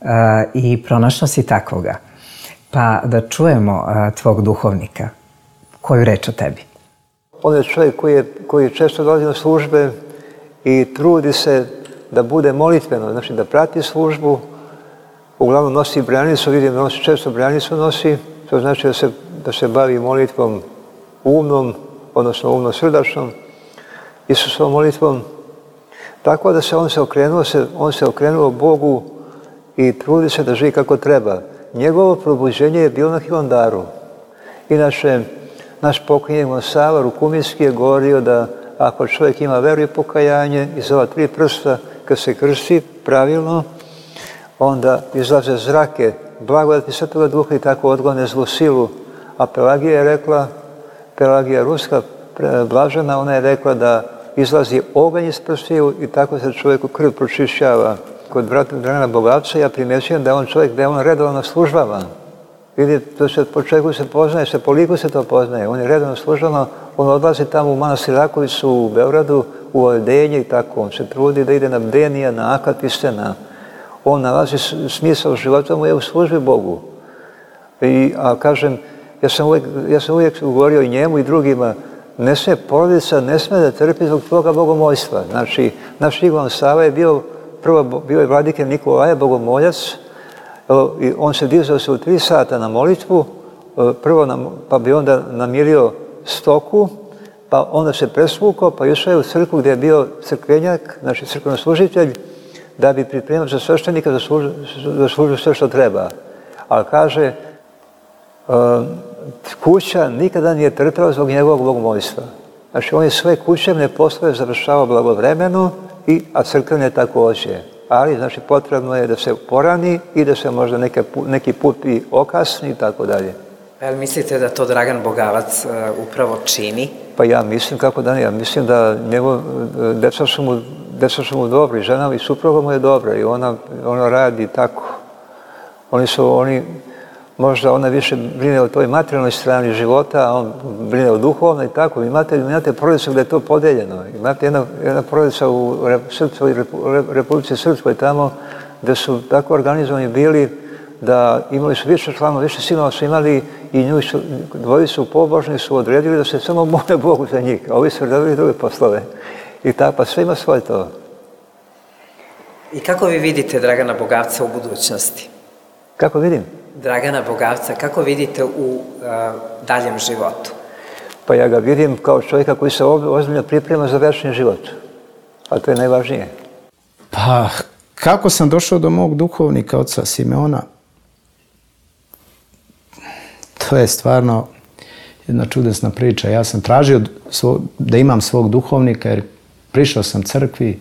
uh, i pronašao si takvoga. Pa da čujemo uh, tvog duhovnika. Koju reč o tebi? On je čovjek koji, je, koji često dolazi na službe i trudi se da bude molitveno, znači da prati službu. Uglavnom nosi branicu, vidim da nosi, često branicu nosi, to znači da se, da se bavi molitvom umnom, odnosno umno-srdačnom, Isusovom molitvom. Tako da se on se okrenuo, se, on se okrenuo Bogu i trudi se da živi kako treba. Njegovo probuđenje je bilo na Hilandaru. Inače, naš pokojni Sava Rukuminski je govorio da ako čovjek ima veru i pokajanje iz ova tri prsta, kad se krsti pravilno, onda izlaze zrake blagodati Svetoga Duha i tako odgone zlu silu. A Pelagija je rekla, Pelagija Ruska, blažena, ona je rekla da izlazi oganj iz prstiju i tako se čovjeku krv pročišćava. Kod brata Dragana Bogavca ja primjećujem da je on čovjek, da je on redovno službama. Vidi, to se po čovjeku se poznaje, se po liku se to poznaje. On je redovno službama, on odlazi tamo u manastir Rakovicu u Beogradu, u odeljenje i tako. On se trudi da ide na bdenija, na akatiste, na... On nalazi smisao života mu je u službi Bogu. I, a kažem, ja sam uvijek, ja sam uvijek govorio i njemu i drugima, ne sme porodica, ne sme da trpi zbog toga bogomojstva. Znači, naš Ivan Sava je bio, prvo bio je vladike Nikolaja, bogomoljac, i on se dizao se u tri sata na molitvu, prvo nam, pa bi onda namirio stoku, pa onda se presvukao, pa išao je u crkvu gdje je bio crkvenjak, znači crkveno-služitelj, da bi pripremio za sveštenika da služi, da služi sve što treba. Ali kaže, kuća nikada nije trpela zbog njegovog bogomolstva. Znači, on je sve kućevne poslove završavao blagovremeno, i, a crkvene također. Ali, znači, potrebno je da se porani i da se možda neke, neki put i okasni i tako dalje. Jel mislite da to Dragan Bogavac uh, upravo čini? Pa ja mislim, kako da ne, ja mislim da njegov, deca su mu, deca su mu dobri, žena i supruga mu je dobra i ona, ona radi tako. Oni su, oni, možda ona više brine o toj materijalnoj strani života, a on brine o duhovnoj i tako. Imate, imate porodicu gdje je to podeljeno. Imate jedna, jedna porodica u Srpskoj, Republici Srpskoj tamo gdje su tako organizovani bili da imali su više članova, više sinova su imali i nju su, dvojicu pobožni su odredili da se samo mole Bogu za njih, a ovi su radili druge poslove. I tako, pa sve ima svoje to. I kako vi vidite Dragana Bogavca u budućnosti? Kako vidim? Dragana Bogavca, kako vidite u uh, daljem životu? Pa ja ga vidim kao čovjeka koji se ozbiljno priprema za večni život. A to je najvažnije. Pa, kako sam došao do mog duhovnika, oca Simeona, to je stvarno jedna čudesna priča. Ja sam tražio svog, da imam svog duhovnika jer prišao sam crkvi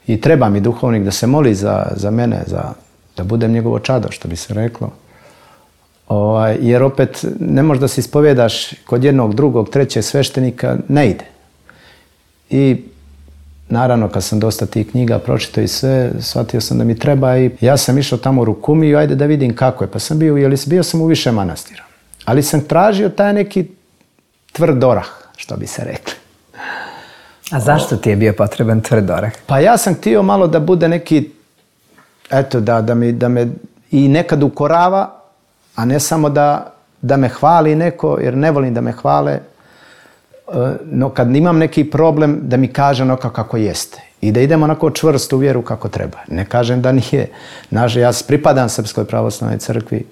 i treba mi duhovnik da se moli za, za mene, za, da budem njegovo čado, što bi se reklo. Ovaj, jer opet ne možeš da se ispovjedaš kod jednog, drugog, trećeg sveštenika, ne ide. I naravno, kad sam dosta tih knjiga pročitao i sve, shvatio sam da mi treba i ja sam išao tamo u Rukumiju, ajde da vidim kako je. Pa sam bio, jeli, bio sam u više manastira. Ali sam tražio taj neki tvrd orah, što bi se rekli. A zašto ti je bio potreban tvrd orah? Pa ja sam htio malo da bude neki, eto, da, da, mi, da me i nekad ukorava, a ne samo da, da me hvali neko, jer ne volim da me hvale, no kad imam neki problem da mi kaže onako kako jeste i da idemo onako čvrsto u vjeru kako treba. Ne kažem da nije. Naže, ja pripadam Srpskoj pravoslavnoj crkvi,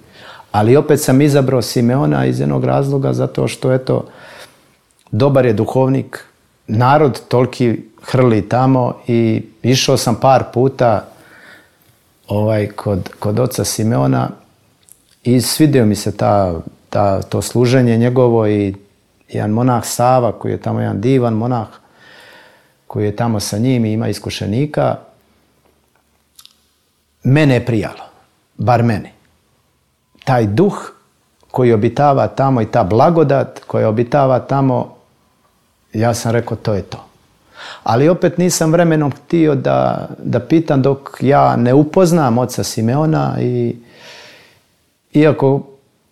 ali opet sam izabrao Simeona iz jednog razloga zato što, eto, dobar je duhovnik, narod toliki hrli tamo i išao sam par puta ovaj, kod, kod oca Simeona i svidio mi se ta, ta, to služenje njegovo i jedan monah Sava, koji je tamo jedan divan monah, koji je tamo sa njim i ima iskušenika, mene je prijalo, bar mene. Taj duh koji obitava tamo i ta blagodat koja obitava tamo, ja sam rekao to je to. Ali opet nisam vremenom htio da, da pitam dok ja ne upoznam oca Simeona i iako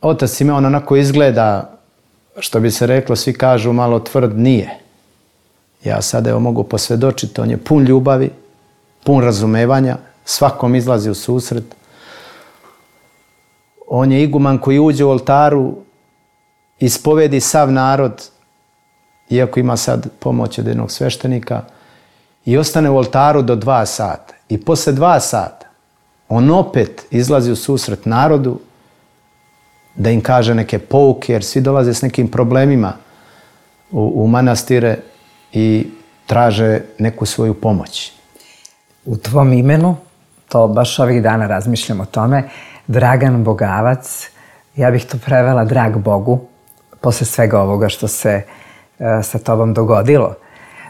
otac Simeon onako izgleda, što bi se reklo, svi kažu malo tvrd, nije. Ja sad evo mogu posvjedočiti, on je pun ljubavi, pun razumevanja, svakom izlazi u susret. On je iguman koji uđe u oltaru, ispovedi sav narod, iako ima sad pomoć od jednog sveštenika, i ostane u oltaru do dva sata. I posle dva sata on opet izlazi u susret narodu da im kaže neke pouke, jer svi dolaze s nekim problemima u, u manastire i traže neku svoju pomoć. U tvom imenu, to baš ovih dana razmišljam o tome, Dragan Bogavac, ja bih to prevela drag Bogu, posle svega ovoga što se uh, sa tobom dogodilo.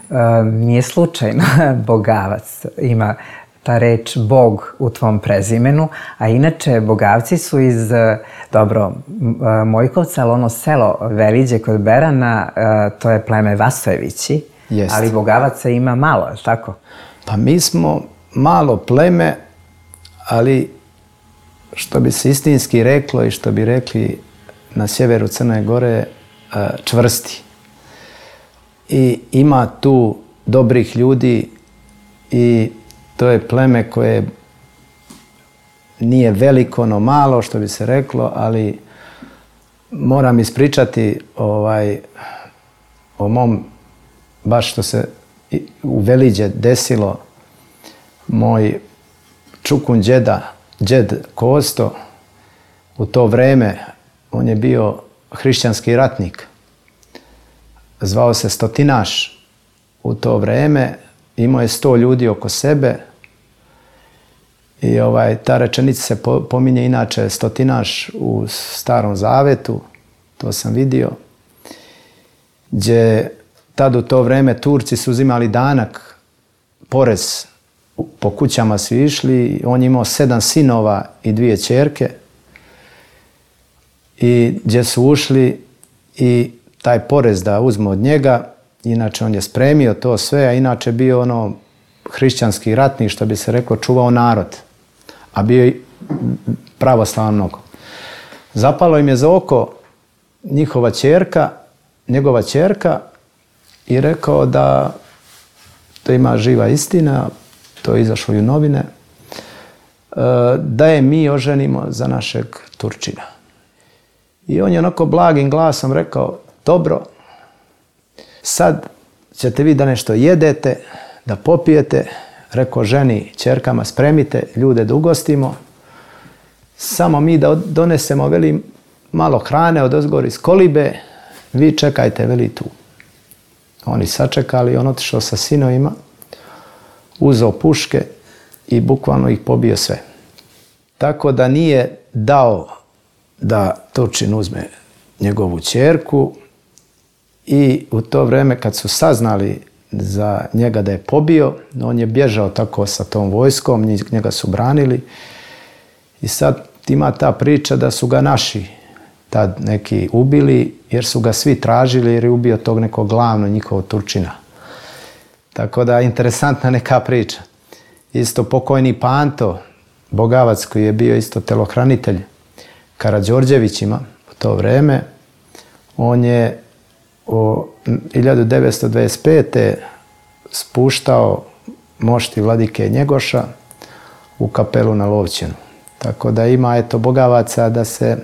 Uh, nije slučajno Bogavac, ima ta reč Bog u tvom prezimenu, a inače Bogavci su iz, dobro, Mojkovca, ali ono selo Veliđe kod Berana, to je pleme Vasojevići, Jest. Ali Bogavaca ima malo, je li tako? Pa mi smo malo pleme, ali što bi se istinski reklo i što bi rekli na sjeveru Crne Gore, čvrsti. I ima tu dobrih ljudi i to je pleme koje nije veliko, no malo, što bi se reklo, ali moram ispričati ovaj, o mom, baš što se u Veliđe desilo. Moj čukun džeda, džed Kosto, u to vreme, on je bio hrišćanski ratnik. Zvao se Stotinaš u to vreme. Imao je sto ljudi oko sebe i ovaj, ta rečenica se pominje inače Stotinaš u Starom Zavetu, to sam vidio, gdje tad u to vreme Turci su uzimali danak, porez, po kućama su išli, on je imao sedam sinova i dvije ćerke i gdje su ušli i taj porez da uzmu od njega. Inače, on je spremio to sve, a inače bio ono hrišćanski ratnik, što bi se reklo, čuvao narod. A bio i pravoslavan mnogo. Zapalo im je za oko njihova ćerka, njegova ćerka i rekao da to ima živa istina, to je izašlo i u novine, da je mi oženimo za našeg Turčina. I on je onako blagim glasom rekao, dobro, sad ćete vi da nešto jedete, da popijete, rekao ženi, ćerkama, spremite ljude da ugostimo, samo mi da donesemo, veli, malo hrane od ozgor iz kolibe, vi čekajte, veli, tu. Oni sačekali, on otišao sa sinovima, uzeo puške i bukvalno ih pobio sve. Tako da nije dao da Turčin uzme njegovu ćerku. I u to vreme kad su saznali za njega da je pobio, on je bježao tako sa tom vojskom, njega su branili. I sad ima ta priča da su ga naši tad neki ubili, jer su ga svi tražili jer je ubio tog nekog glavno njihovog Turčina. Tako da interesantna neka priča. Isto pokojni Panto Bogavac, koji je bio isto telohranitelj Karađorđevićima u to vreme, on je u hiljadu devetsto dvadeset pete spuštao mošti vladike Njegoša u kapelu na Lovćenu. Tako da ima, eto, Bogavaca da se,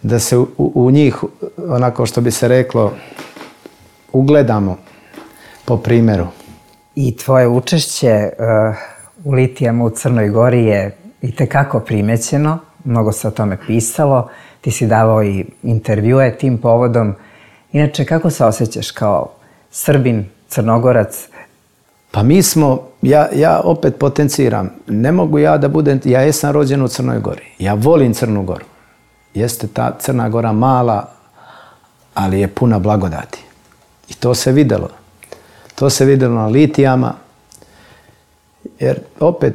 da se u, u njih, onako što bi se reklo, ugledamo po primjeru. I tvoje učešće uh, u litijama u Crnoj Gori je itekako primećeno, mnogo se o tome pisalo, ti si davao i intervjue tim povodom. Inače, kako se osjećaš kao Srbin, Crnogorac? Pa mi smo, ja, ja opet potenciram, ne mogu ja da budem, ja jesam rođen u Crnoj Gori, ja volim Crnu Goru. Jeste ta Crna Gora mala, ali je puna blagodati. I to se videlo. To se videlo na litijama, jer opet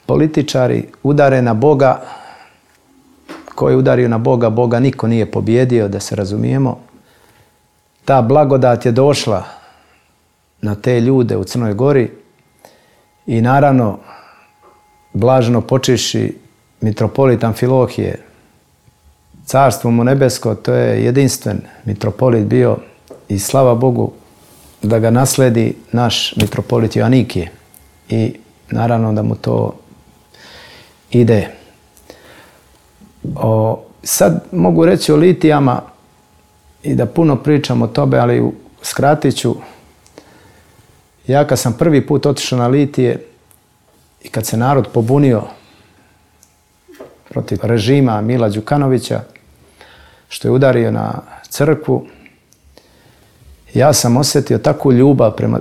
političari udare na Boga, ko je udario na Boga, Boga niko nije pobjedio, da se razumijemo. Ta blagodat je došla na te ljude u Crnoj Gori i naravno blaženo počivši mitropolitan Amfilohije carstvo mu nebesko, to je jedinstven mitropolit bio i slava Bogu da ga nasledi naš mitropolit Joanikije. I naravno da mu to ide. O, sad mogu reći o litijama i da puno pričam o tome, ali skratit ću. Ja kad sam prvi put otišao na litije i kad se narod pobunio protiv režima Mila Đukanovića, što je udario na crkvu, ja sam osjetio takvu ljubav prema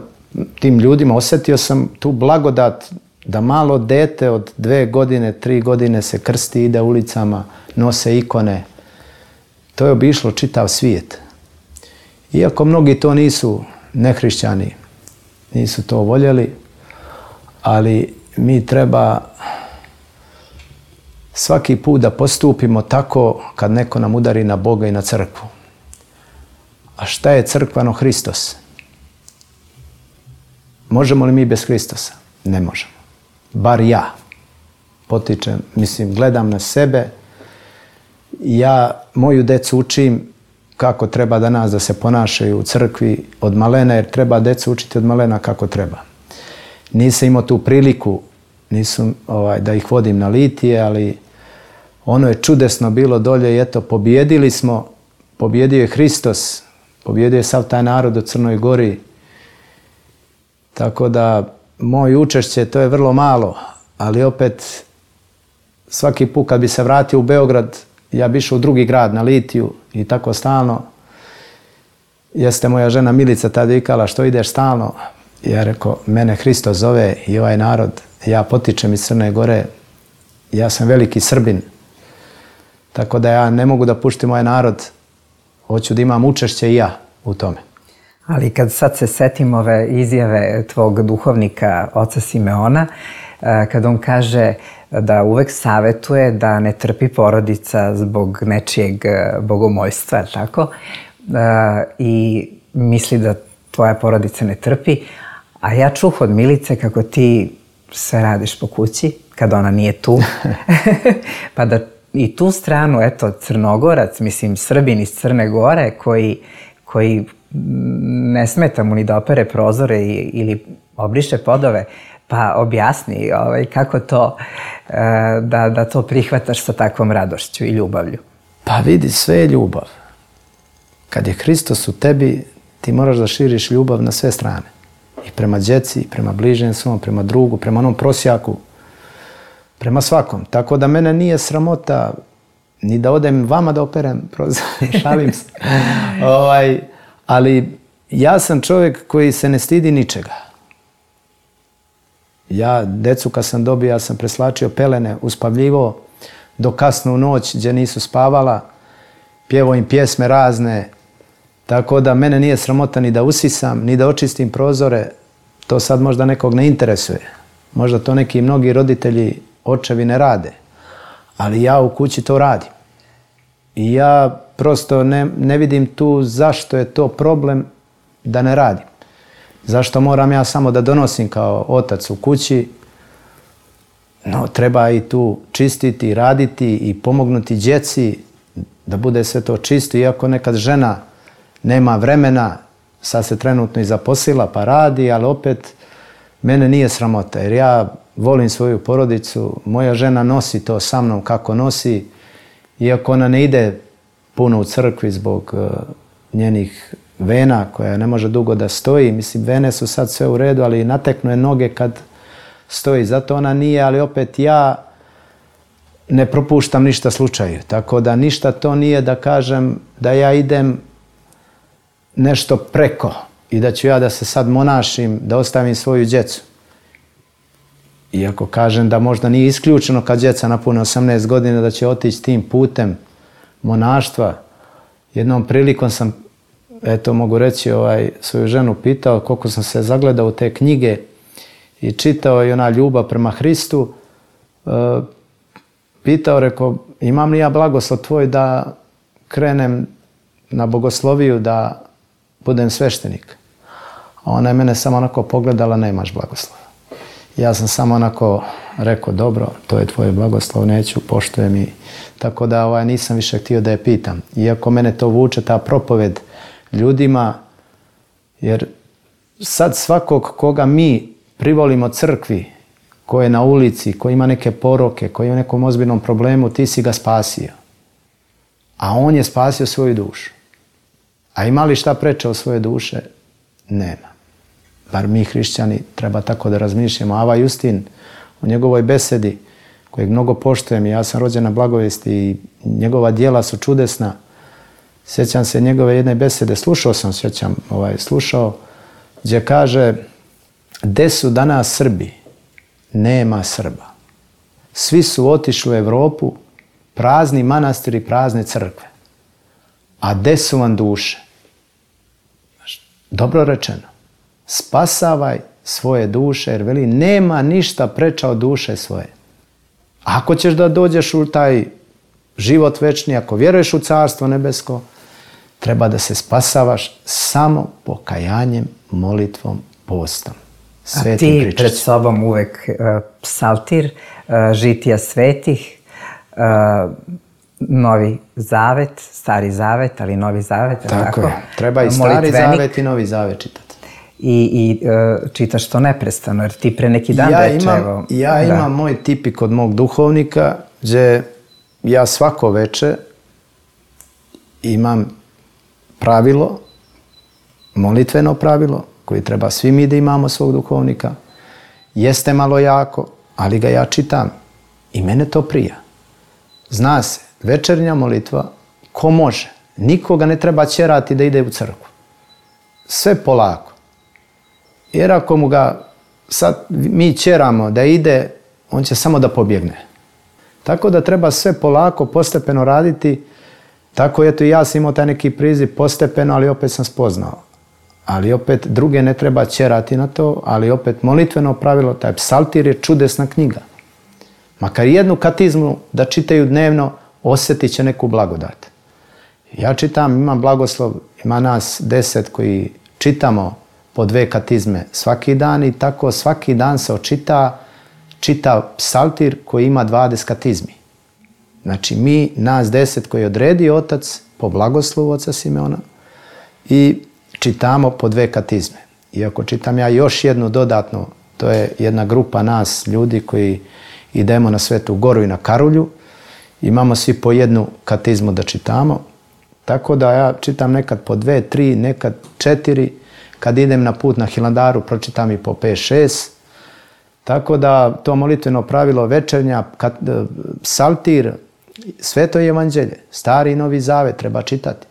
tim ljudima, osjetio sam tu blagodat da malo dete od dve godine, tri godine se krsti, ide ulicama, nose ikone. To je obišlo čitav svijet. Iako mnogi to nisu nehrišćani, nisu to voljeli, ali mi treba svaki put da postupimo tako kad neko nam udari na Boga i na crkvu. A šta je crkvano? Hristos. Možemo li mi bez Hristosa? Ne možemo. Bar ja. Potičem, mislim, gledam na sebe. Ja moju decu učim kako treba danas da se ponašaju u crkvi od malena, jer treba decu učiti od malena kako treba. Nisam imao tu priliku, nisam ovaj, da ih vodim na litije, ali ono je čudesno bilo dolje i eto, pobjedili smo, pobjedio je Hristos, pobjedio je sav taj narod u Crnoj Gori. Tako da moje učešće, to je vrlo malo, ali opet svaki put kad bi se vratio u Beograd, ja bi išao u drugi grad na litiju i tako stalno. Jeste moja žena Milica tada vikala, što ideš stalno? Ja rekao, mene Hristos zove i ovaj narod, ja potičem iz Crne Gore, ja sam veliki Srbin, tako da ja ne mogu da puštim ovaj narod, hoću da imam učešće i ja u tome. Ali kad sad se setim ove izjave tvog duhovnika, oca Simeona, kad on kaže da uvek savetuje da ne trpi porodica zbog nečijeg bogomojstva, tako? I misli da tvoja porodica ne trpi. A ja čuh od Milice kako ti sve radiš po kući, kad ona nije tu. Pa da i tu stranu, eto, Crnogorac, mislim, Srbin iz Crne Gore, koji, koji ne smeta mu ni da opere prozore ili obriše podove, pa objasni ovaj, kako to, da, da to prihvataš sa takvom radošću i ljubavlju. Pa vidi, sve je ljubav. Kad je Hristos u tebi, ti moraš da širiš ljubav na sve strane. I prema djeci, i prema bližnjem svom, prema drugu, prema onom prosjaku, prema svakom. Tako da mene nije sramota ni da odem vama da operem prozor, šalim se. ovaj, ali ja sam čovjek koji se ne stidi ničega. Ja, decu kad sam dobio, ja sam preslačio pelene, uspavljivo do kasno u noć gdje nisu spavala, pjevao im pjesme razne, tako da mene nije sramota ni da usisam, ni da očistim prozore. To sad možda nekog ne interesuje. Možda to neki mnogi roditelji, očevi ne rade. Ali ja u kući to radim. I ja prosto ne, ne vidim tu zašto je to problem da ne radim. Zašto moram ja samo da donosim kao otac u kući? No, treba i tu čistiti, raditi i pomognuti djeci da bude sve to čisto. Iako nekad žena nema vremena, sad se trenutno i zaposlila pa radi, ali opet mene nije sramota jer ja volim svoju porodicu, moja žena nosi to sa mnom kako nosi, iako ona ne ide puno u crkvi zbog uh, njenih vena koja ne može dugo da stoji. Mislim, vene su sad sve u redu, ali nateknu je noge kad stoji. Zato ona nije, ali opet ja ne propuštam ništa slučaju. Tako da ništa to nije da kažem da ja idem nešto preko i da ću ja da se sad monašim, da ostavim svoju djecu. Iako kažem da možda nije isključeno kad djeca napune osamnaest godina da će otići tim putem monaštva. Jednom prilikom sam, eto mogu reći, ovaj, svoju ženu pitao koliko sam se zagledao u te knjige i čitao i ona ljubav prema Hristu. E, pitao, rekao, imam li ja blagoslov tvoj da krenem na bogosloviju, da budem sveštenik? A ona je mene samo onako pogledala, nemaš blagoslova. Ja sam samo onako rekao, dobro, to je tvoj blagoslov, neću, poštujem i tako da ovaj, nisam više htio da je pitam. Iako mene to vuče, ta propoved ljudima, jer sad svakog koga mi privolimo crkvi, ko je na ulici, ko ima neke poroke, ko je u nekom ozbiljnom problemu, ti si ga spasio. A on je spasio svoju dušu. A ima li šta preče od svoje duše? Nema. Bar mi hrišćani treba tako da razmišljamo. Ava Justin u njegovoj besedi, kojeg mnogo poštujem, ja sam rođen na blagovesti i njegova djela su čudesna. Sjećam se njegove jedne besede, slušao sam, sjećam, ovaj, slušao, gdje kaže, gde su danas Srbi? Nema Srba. Svi su otišli u Evropu, prazni manastiri, prazne crkve. A gde su vam duše? Dobro rečeno. Spasavaj svoje duše, jer veli, nema ništa preča od duše svoje. Ako ćeš da dođeš u taj život večni, ako vjeruješ u Carstvo nebesko, treba da se spasavaš samo pokajanjem, molitvom, postom. A ti pred sobom uvek uh, psaltir, uh, žitija svetih, uh, Novi Zavet, Stari Zavet, ali Novi Zavet. Tako, tako je. Treba i Stari Zavet i Novi Zavet čitati. I, i uh, čitaš to neprestano, jer ti pre neki dan ja reče, imam, evo... Ja da. imam moj tipik od mog duhovnika, gdje ja svako veče imam pravilo, molitveno pravilo, koji treba svi mi da imamo svog duhovnika. Jeste malo jako, ali ga ja čitam i mene to prija. Zna se, večernja molitva, ko može, nikoga ne treba ćerati da ide u crkvu. Sve polako. Jer ako mu ga sad mi ćeramo da ide, on će samo da pobjegne. Tako da treba sve polako, postepeno raditi. Tako eto i ja sam imao taj neki priziv postepeno, ali opet sam spoznao. Ali opet druge ne treba ćerati na to, ali opet molitveno pravilo, taj psaltir je čudesna knjiga. Makar jednu katizmu da čitaju dnevno, osjetit će neku blagodat. Ja čitam, imam blagoslov, ima nas deset koji čitamo po dve katizme svaki dan i tako svaki dan se očita čita psaltir koji ima dvadeset katizmi. Znači mi, nas deset koji odredi otac po blagoslovu oca Simeona i čitamo po dve katizme. Iako čitam ja još jednu dodatnu, to je jedna grupa nas ljudi koji idemo na Svetu Goru i na Karulju, imamo svi po jednu katizmu da čitamo, tako da ja čitam nekad po dve, tri, nekad četiri, kad idem na put na Hilandaru pročitam i po pet, šest, tako da to molitveno pravilo večernja, kat, psaltir, Sveto evanđelje, Stari i Novi Zavet treba čitati.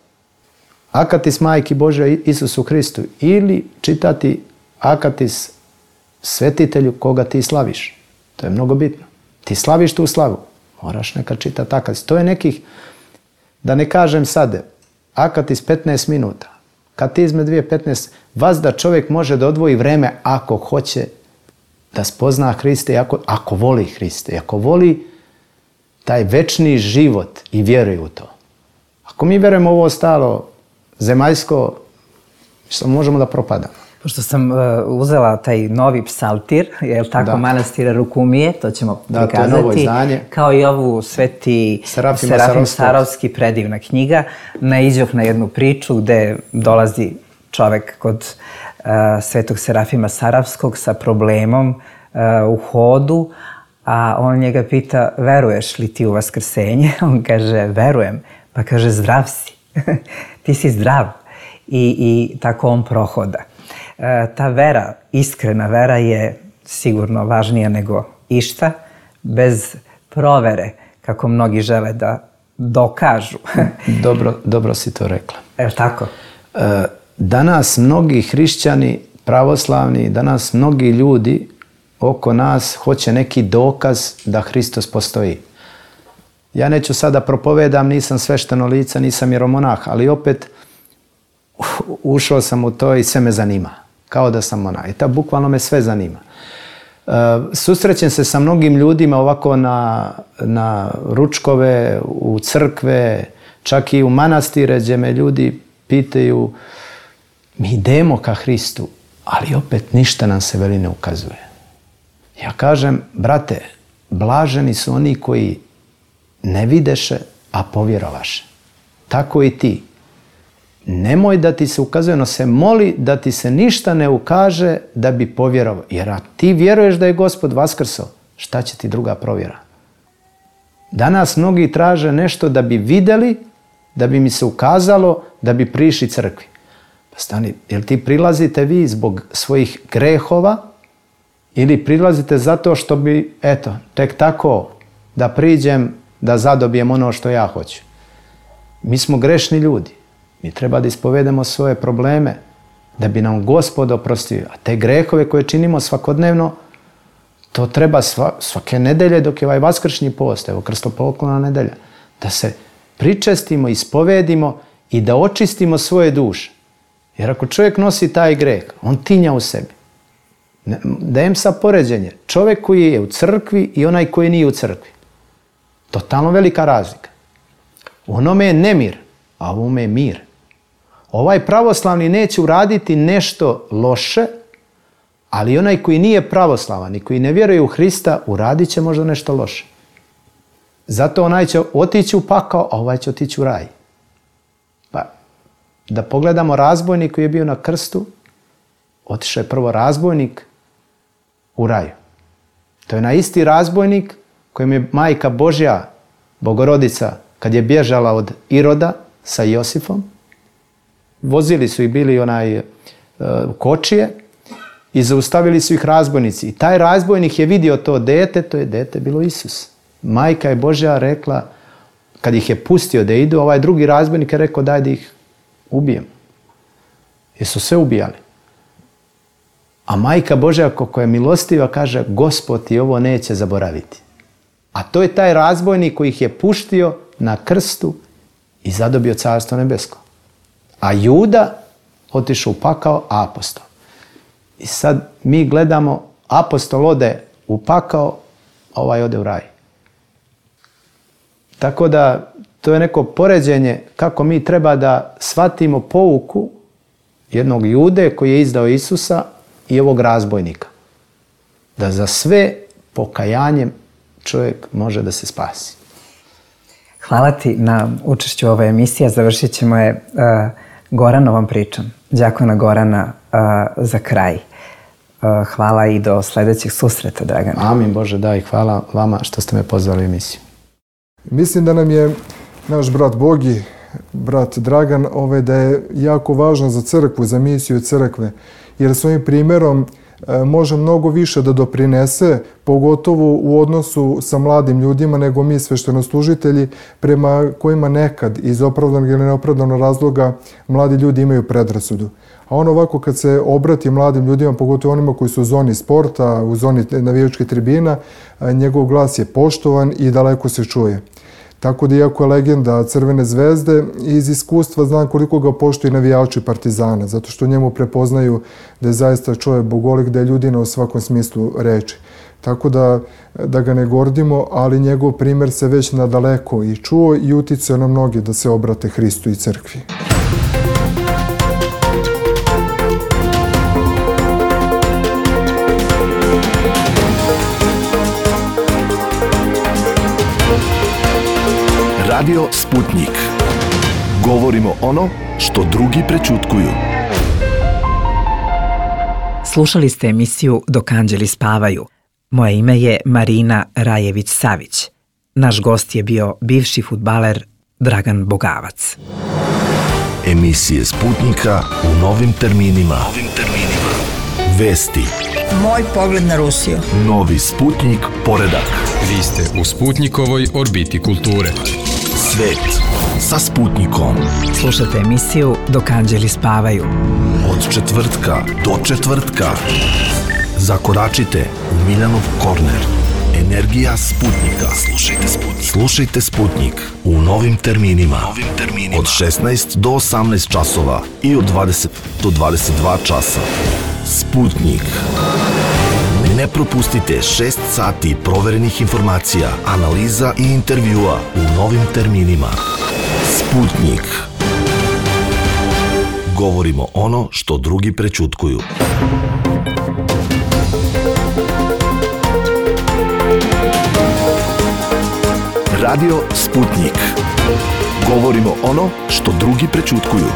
Akatis Majki Božoj Isusu Hristu ili čitati akatis svetitelju koga ti slaviš. To je mnogo bitno. Ti slaviš tu slavu. Moraš nekad čitati akatis. To je nekih, da ne kažem sad, akatis petnaest minuta. Katizme dvije petnaest. Vas da čovjek može da odvoji vreme ako hoće da spozna Hriste, ako, ako voli Hriste, ako voli taj večni život i vjeruje u to. Ako mi vjerujemo ovo ostalo zemaljsko, što možemo da propadamo. Pošto sam uh, uzela taj novi psaltir, je li tako, da. Manastira Rukumije, to ćemo da, prikazati. To je novo izdanje. Kao i ovu Sveti Serafim, Serafim Sarovski, predivna knjiga. Naiđoh na jednu priču gde dolazi čovek kod uh, Svetog Serafima Saravskog sa problemom uh, u hodu, a on njega pita, veruješ li ti u vaskrsenje? On kaže, verujem. Pa kaže, zdrav si. Ti si zdrav. I, i tako on prohoda. E, ta vera, iskrena vera je sigurno važnija nego išta, bez provere, kako mnogi žele da dokažu. Dobro, dobro si to rekla. E, tako? E, danas mnogi hrišćani, pravoslavni, danas mnogi ljudi oko nas hoće neki dokaz da Hristos postoji. Ja neću sada propovedam, nisam svešteno lice, nisam vjeromonah, ali opet ušao sam u to i sve me zanima. Kao da sam monah. I ta bukvalno me sve zanima. E, susrećem se sa mnogim ljudima ovako na, na ručkove, u crkve, čak i u manastire gdje me ljudi pitaju, mi idemo ka Hristu, ali opet ništa nam se veli ne ukazuje. Ja kažem, brate, blaženi su oni koji ne videše, a povjerovaše. Tako i ti. Nemoj da ti se ukazuje, no se moli da ti se ništa ne ukaže da bi povjerovao. Jer ako ti vjeruješ da je Gospod vaskrsao, šta će ti druga provjera? Danas mnogi traže nešto da bi vidjeli, da bi mi se ukazalo, da bi prišli crkvi. Pa stani, jel ti prilazite vi zbog svojih grehova ili prilazite zato što bi, eto, tek tako da priđem, da zadobijem ono što ja hoću? Mi smo grešni ljudi. Mi treba da ispovedemo svoje probleme da bi nam Gospod oprostio. A te grehove koje činimo svakodnevno, to treba sva, svake nedelje dok je ovaj vaskršnji post, evo krstopoklona nedelja, da se pričestimo, ispovedimo i da očistimo svoje duše. Jer ako čovjek nosi taj greh, on tinja u sebi. Dajem sa poređenje. Čovjek koji je u crkvi i onaj koji nije u crkvi. Totalno velika razlika. U onome je nemir, a u ovome je mir. Ovaj pravoslavni neće uraditi nešto loše, ali onaj koji nije pravoslavan i koji ne vjeruje u Hrista, uradit će možda nešto loše. Zato onaj će otići u pakao, a ovaj će otići u raj. Pa, da pogledamo razbojnik koji je bio na krstu, otišao je prvo razbojnik u raju. To je na isti razbojnik kojem je Majka Božja, Bogorodica, kad je bježala od Iroda sa Josifom, vozili su ih bili onaj uh, kočije i zaustavili su ih razbojnici. I taj razbojnik je vidio to dete, to je dete bilo Isus. Majka je Božja rekla, kad ih je pustio da idu, ovaj drugi razbojnik je rekao daj da ih ubijem. Jer su sve ubijali. A Majka Božja, kako je milostiva, kaže Gospod ti ovo neće zaboraviti. A to je taj razbojnik koji ih je puštio na krstu i zadobio carstvo nebesko. A Juda otišao u pakao, a apostol. I sad mi gledamo, apostol ode u pakao, a ovaj ode u raj. Tako da to je neko poređenje kako mi treba da shvatimo pouku jednog Jude koji je izdao Isusa i ovog razbojnika. Da za sve pokajanjem čovjek može da se spasi. Hvala ti na učešću ove emisije. Završit ćemo je uh, Goranovom pričom. Đakona Gorana uh, za kraj. Uh, hvala i do sljedećeg susreta, Dragane. Amin Bože, da, i hvala vama što ste me pozvali u emisiju. Mislim da nam je naš brat Bogi, brat Dragan, ovaj, da je jako važan za crkvu, za misiju crkve, jer svojim primjerom e, može mnogo više da doprinese, pogotovo u odnosu sa mladim ljudima nego mi sveštenostužitelji, prema kojima nekad iz opravdanog ili neopravdanog razloga mladi ljudi imaju predrasudu. A on ovako kad se obrati mladim ljudima, pogotovo onima koji su u zoni sporta, u zoni navijačkih tribina, njegov glas je poštovan i daleko se čuje. Tako da, iako je legenda Crvene zvezde, iz iskustva znam koliko ga poštuju navijači Partizana, zato što njemu prepoznaju da je zaista čovjek bogolik, da je ljudina u svakom smislu reči. Tako da, da ga ne gordimo, ali njegov primjer se već nadaleko i čuo i uticao na mnoge da se obrate Hristu i crkvi. Radio Sputnik. Govorimo ono što drugi prećutkuju. Slušali ste emisiju Dok anđeli spavaju. Moje ime je Marina Rajević-Savić. Naš gost je bio bivši fudbaler Dragan Bogavac. Emisije Sputnika u novim terminima. Novim terminima. Vesti. Moj pogled na Rusiju. Novi Sputnik poredak. Vi ste u Sputnikovoj orbiti kulture. Svet sa Sputnikom. Slušajte emisiju Dok anđeli spavaju. Od četvrtka do četvrtka. Zakoračite u Miljanov korner. Energija Sputnika. Slušajte Sputnik. Slušajte Sputnik u novim terminima. Novim terminima. Od šesnaest do osamnaest časova i od dvadeset do dvadeset dva časa. Sputnik. Ne propustite šest sati proverenih informacija, analiza i intervjua u novim terminima. Sputnik. Govorimo ono što drugi prećutkuju. Radio Sputnik. Govorimo ono što drugi prećutkuju.